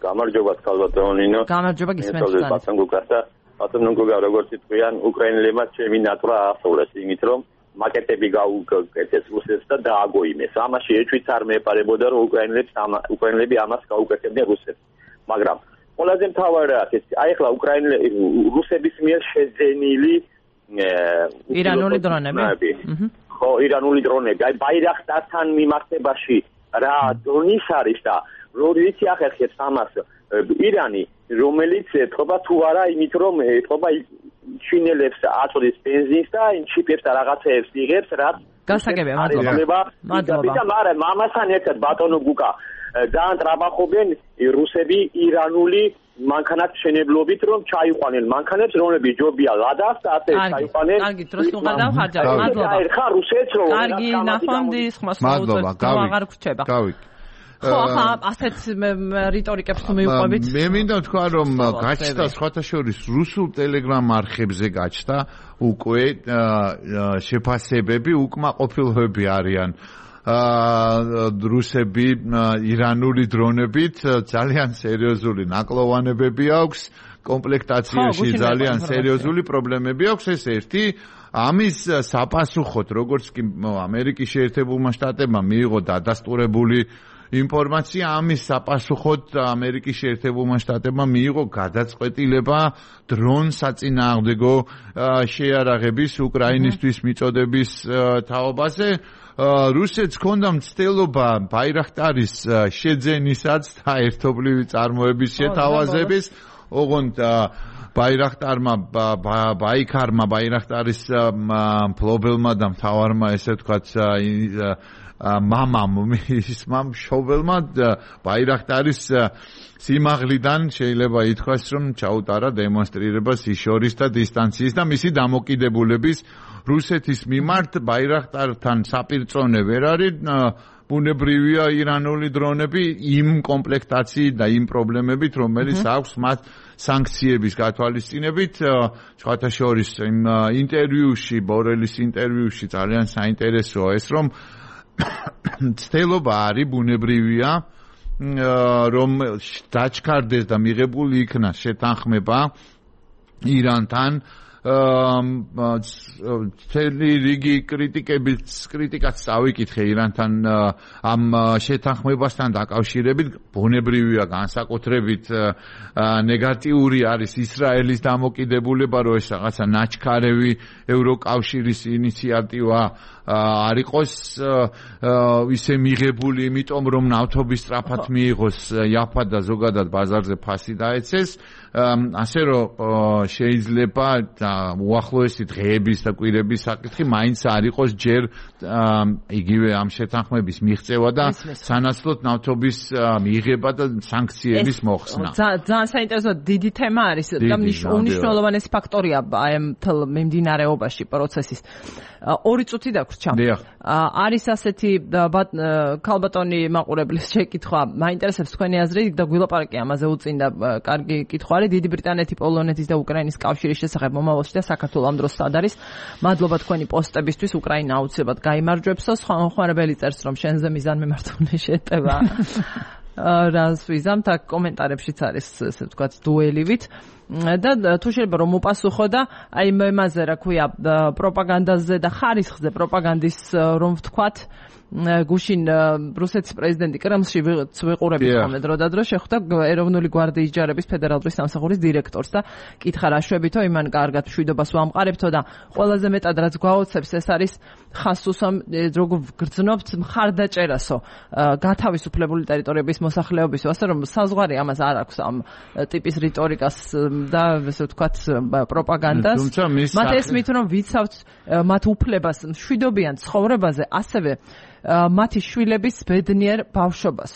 Speaker 8: გამარჯობა ქალბატონინო.
Speaker 1: გამარჯობა გისმენთ ძალიან.
Speaker 8: ბატონ გუგას და ბატონ გუგა როგორც თქვიან, უკრაინელებმა ჩემი ნატვრა აასწორეს იმით, რომ მაკეტები გაუკეთეს რუსეთს და დააგოიმეს. ამაში ეჭვიც არ მეპარებოდა, რომ უკრაინელები ამას გაუკეთებდნენ რუსეთს. მაგრამ ყველაზე მთავარი რა ეს აი ახლა რუსების მიერ შეძენილი
Speaker 1: ირანული დრონები.
Speaker 8: ხო, ირანული დრონები. აი ბაირახტართან მიმართებაში რა დრონის არის და როიცი ახერხებს ამას ირანი, რომელიც ეთყობა თუ არა იმით, რომ ეთყობა ჩინელებს აწოდის ბენზინს და ჩიპებს და რაღაცეებს იღებს, რაც
Speaker 1: გასაგებია, მადლობა.
Speaker 8: მაგრამ ამასთან ერთად ბატონო გუკა ძალიან ტრაბახობენ რუსები ირანული მანქანat შენებლობით, რომ ჩაიყვანენ მანქანებს, რომლებიც ჯობია ლადას და ასე ჩაიყვანენ.
Speaker 1: კარგი, დროს უყადავ, მადლობა.
Speaker 8: ხა რუსეთს რომ
Speaker 1: კარგი, ნახვამდის, ხმას მოუწევთ, აღარ გრჩება. ხო, ახლა ასეთ რიტორიკებს თუ მიუყვებით.
Speaker 5: მე მინდა თქვა, რომ გაჩნდა სხვათა შორის რუსულ ტელეგრამ არხებზე გაჩნდა უკვე შეფასებები, უკმაყოფილოები არიან. რუსები ირანული დრონებით ძალიან სერიოზული ნაკლოვანებები აქვს, კომპლექტაციაში ძალიან სერიოზული პრობლემები აქვს, ეს ერთი. ამის საპასუხოდ, როგორც კი ამერიკის შეერთებულმა შტატებმა მიიღო დადასტურებული ინფორმაცია, ამის საპასუხოდ ამერიკის შეერთებულმა შტატებმა მიიღო გადაწყვეტილება დრონ საწინააღმდეგო შეიარაღების უკრაინისთვის მიწოდების თაობაზე. რუსეთს ჰქონდა მცდელობა ბაირახტარის შეძენისაც და ერთობლივი წარმოების შეთავაზების, ოღონდ ბაირახტარმა ბაირახტარის მფლობელმა და მთავარმა ესე ვთქვათ მამამ მშობელმა ბაირახტარის სიმაღლიდან შეიძლება ითქვას, რომ ჩაუტარა დემონსტრირებას ის შორის და დისტანციის და მისი დამოკიდებულების რუსეთის მიმართ ბაირახტართან საპირწონე ვერ არის. ბუნებრივია ირანული დრონები იმ კომპლექტაციით და იმ პრობლემებით, რომელიც აქვს მათ სანქციების გათვალისწინებით. სხვათა შორის იმ ინტერვიუში, ბორელის ინტერვიუში ძალიან საინტერესოა ეს, რომ ცდელობა არის ბუნებრივია, რომ დაჩქარდეს და მიღებული იქნას შეთანხმება ირანთან. მთელი რიგი კრიტიკაც წავიკითხე ირანთან ამ შეთანხმებასთან დაკავშირებით. ბუნებრივია განსაკუთრებით ნეგატიური არის ისრაელის დამოკიდებულება, რომ ეს რაღაცა ნაჩქარევი ევროკავშირის ინიციატივა არ იყოს ისე მიღებული, იმიტომ რომ ნავთობის სწრაფად მიიღოს იაფა და ზოგადად ბაზარზე ფასი დაეცეს. ასე რომ შეიძლება უახლოესი დღეების და კვირების საკითხი მაინც არ იყოს ჯერ იგივე ამ შეთანხმების მიღწევა და სანაცვლოდ ნავთობის მიღება და სანქციების მოხსნა.
Speaker 1: ძალიან საინტერესო დიდი თემა არის და უნიშნულოვანესი ფაქტორია აი ამ მიმდინარეობაში პროცესის. 2 წუთი დაგვრჩა. არის ასეთი ქალბატონი მაყურებლის შეკითხვა, მაინტერესებს თქვენი აზრი და გვილაპარაკე ამაზე უწინდა კარგი კითხვა. დიდი ბრიტანეთი, პოლონეთის და უკრაინის კავშირის შესახებ მომავალში და საქართველოს ამ დროს სად არის? მადლობა თქვენი პოსტებისთვის, უკრაინა აუცილებლად გაიმარჯვებსო. ხმარებელი წერს, რომ შენზე მიზანმიმართული შეტევა. რას ვიზამთ, აქ კომენტარებშიც არის ესე ვთქვათ დუელივით. და თუ შეიძლება რომ მოპასუხო და აი იმაზე რა ქვია პროპაგანდაზე და ხარისხზე პროპაგანდის რომ ვთქვათ გუშინ რუსეთის პრეზიდენტი კრემლში ვიყურებით ხოლმე დროდადრო შეხვდა ეროვნული გვარდიის ჯარების ფედერალური სამსახურის დირექტორს და კითხა რა შვებითო იმან კარგად მშვიდობას ვამყარებთო და ყველაზე მეტად რაც გვაოცებს ეს არის ხასუსამ როგორ გრძნობთ მხარდაჭერასო გათავისუფლებული ტერიტორიების მოსახლეობისო ასე რომ საზღვარი ამას არ აქვს ამ ტიპის რიტორიკას და ესე ვთქვათ პროპაგანდას მათ ესმით რომ ვიცავთ მათ უფლებას მშვიდობიან ცხოვრებაზე ასევე მათი შვილების ბედნიერ ბავშვობას.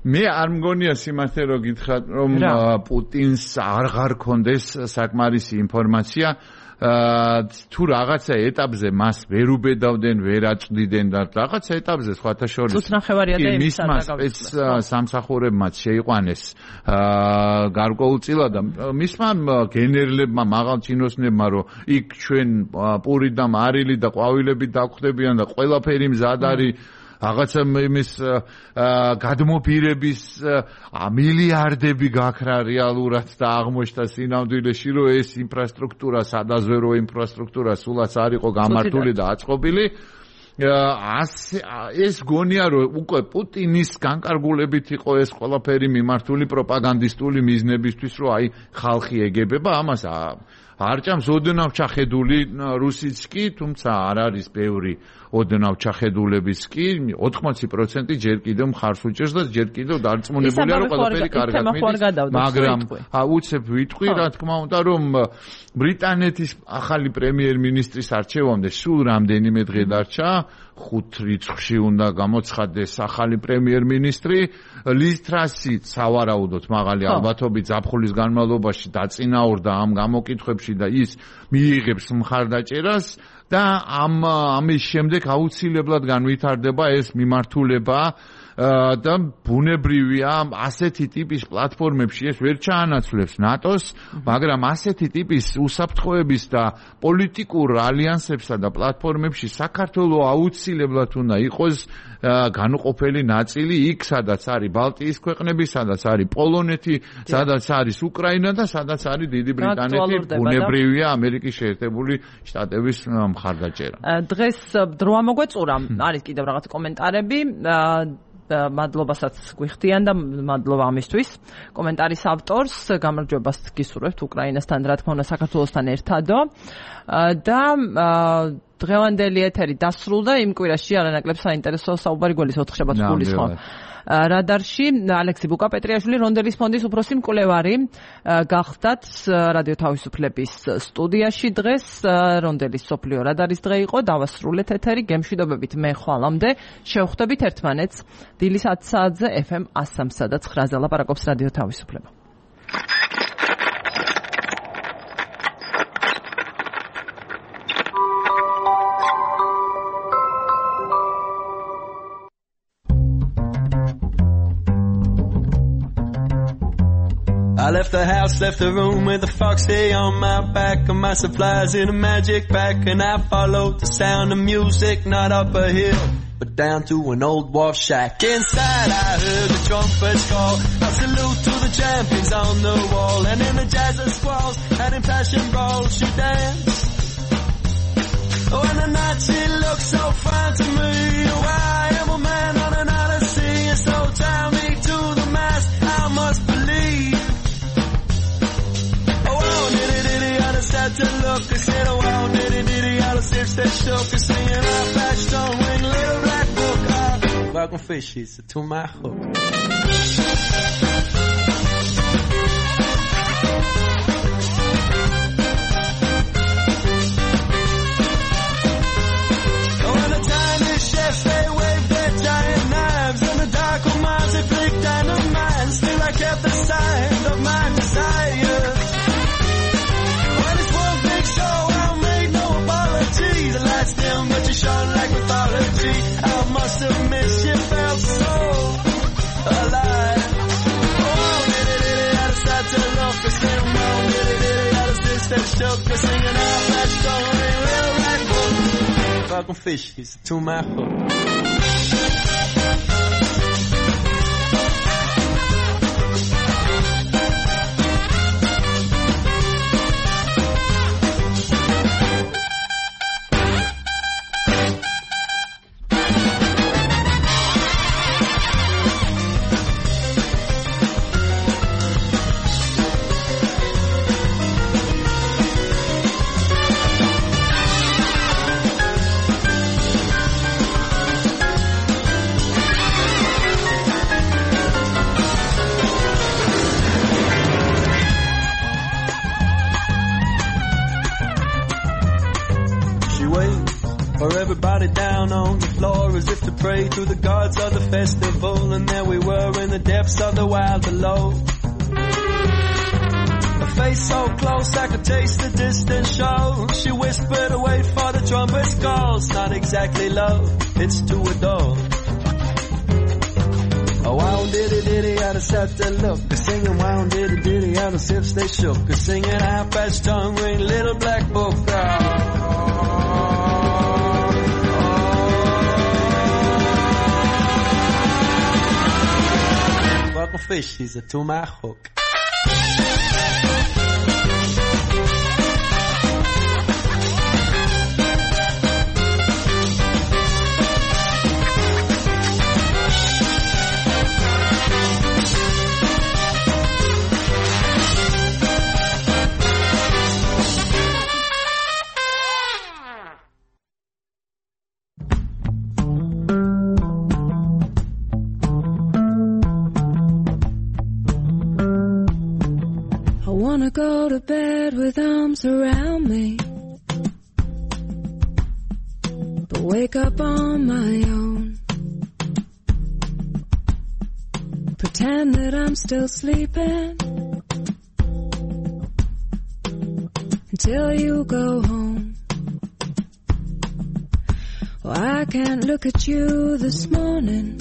Speaker 5: მე არ მგონია სიმართლე რომ გითხრათ რომ პუტინს აღარ ქონდეს საკმარისი ინფორმაცია თუ რაღაცა ეტაპზე მას ვერ უბედავდნენ, ვერ აწვდიდნენ და რაღაცა ეტაპზე სხვათა შორის მისმა სამსახურებმაც შეიყვანეს გარკვეულწილად და მისმა გენერლებმა, მაღალჩინოსნებმა რომ იქ ჩვენ პური და მარილი და ყვავილები დაგვხდებიან და ყველაფერი მზად არის რაღაცა იმის გადმოფირების მილიარდები გაქრა რეალურად და აღმოჩნდა სინამდვილეში რომ ეს ინფრასტრუქტურა სადაზვე რო ინფრასტრუქტურა სულაც არ იყო გამართული და აწყობილი ეს გონია რომ უკვე პუტინის განკარგულებით იყო ეს ყველაფერი მიმართული პროპაგანდისტული მიზნებისთვის რომ აი ხალხი ეგებება ამას არ ჭამს ოდნავ ჩახედული რუსიც კი თუმცა არ არის ბევრი ოდნავ ჩახედულების კი 80% ჯერ კიდევ მხარს უჭერს და ჯერ კიდევ დარწმუნებულია რომ ყველაფერი კარგად მიდის მაგრამ უცებ ვიტყვი რა თქმა უნდა რომ ბრიტანეთის ახალი პრემიერ-მინისტრის არჩევამდე სულ რამდენიმე დღე დარჩა 5 რიცხვში უნდა გამოცხადდეს ახალი პრემიერ-მინისტრი ლის ტრასი სავარაუდოდ მაღალი ალბათობით ზაფხულის განმავლობაში დაწინაურდა ამ გამოკითხვებში და ის მიიღებს მხარდაჭერას და ამის შემდეგ აუცილებლად განვითარდება ეს მიმართულება და ბუნებრივია ასეთი ტიპის პლატფორმებში ეს ვერ ჩაანაცვლებს ნატოს, მაგრამ ასეთი ტიპის უსაფრთხოების და პოლიტიკურ ალიანსებსა და პლატფორმებში საქართველოს აუცილებლად უნდა იყოს განუყოფელი ნაწილი იქ, სადაც არის ბალტიის ქვეყნები, სადაც არის პოლონეთი, სადაც არის უკრაინა და სადაც არის დიდი ბრიტანეთი, ბუნებრივია ამერიკის შეერთებული შტატების მხარდაჭერა.
Speaker 1: დღეს დრო ამოგვეწურა, არის კიდევ რაღაც კომენტარები მადლობასაც გვიხდიან და მადლობა ამისთვის. კომენტარის ავტორს გამარჯვებას გისურვებთ უკრაინასთან, რა თქმა უნდა, საქართველოსთან ერთადო. და დღევანდელი ეთერი დასრულდა იმ კვირაში არანაკლებ საინტერესო საუბარი გველის 4 შაბათს გულისხმობ. რადარში ალექსი ბუკა-პეტრიაშვილი რონდელის ფონდის უფროსი მკვლევარი გახდათ რადიო თავისუფლების სტუდიაში დღეს რონდელის სოფლიო რადარის დღე იყო დავასრულეთ ეთერი გემშვიდობებით მე ხვალამდე შევხვდებით ერთმანეთს დილის 10 საათზე FM 103 და 9-ზე ლაპარაკობს რადიო თავისუფლება.
Speaker 9: I left the house, left the room with a foxy on my back and my supplies in a magic bag, and I followed the sound of music, not up a hill but down to an old wharf shack. Inside I heard the trumpets call, a salute to the champions on the wall, and in the jazz and squalls and in passion brawls she danced. Oh, and the night she looked so fine to me. Oh, I am a man on an odyssey, and so tie me to the mast, I must believe. Had to look and said, oh, wow, diddy, all the sips that shook and singing our flash don't ring, little black book. Welcome fishies to my hook. Oh, and the tiny chefs, they waved their giant knives, and the dark old minds, they flicked dynamite. Still I kept the sign of my desire. The lights dim, but you shone like mythology. I must admit you felt so alive. Oh, diddy, out of sight to look, a skin moan, diddy, out of six that shook, a singing out that story, real right book. Fucking fishies to my hook. Down on the floor as if to pray to the gods of the festival, and there we were in the depths of the wild below. A face so close I could taste the distant show. She whispered, wait for the trumpet's call. It's not exactly love, it's to adore. Oh, wow, diddy, out of sight to look, a singing wow, diddy, out of sips they shook, a singing half-patch tongue ring, little black book. couple fishies are to my hook.
Speaker 10: Go to bed with arms around me, but wake up on my own. Pretend that I'm still sleeping until you go home. Well, I can't look at you this morning,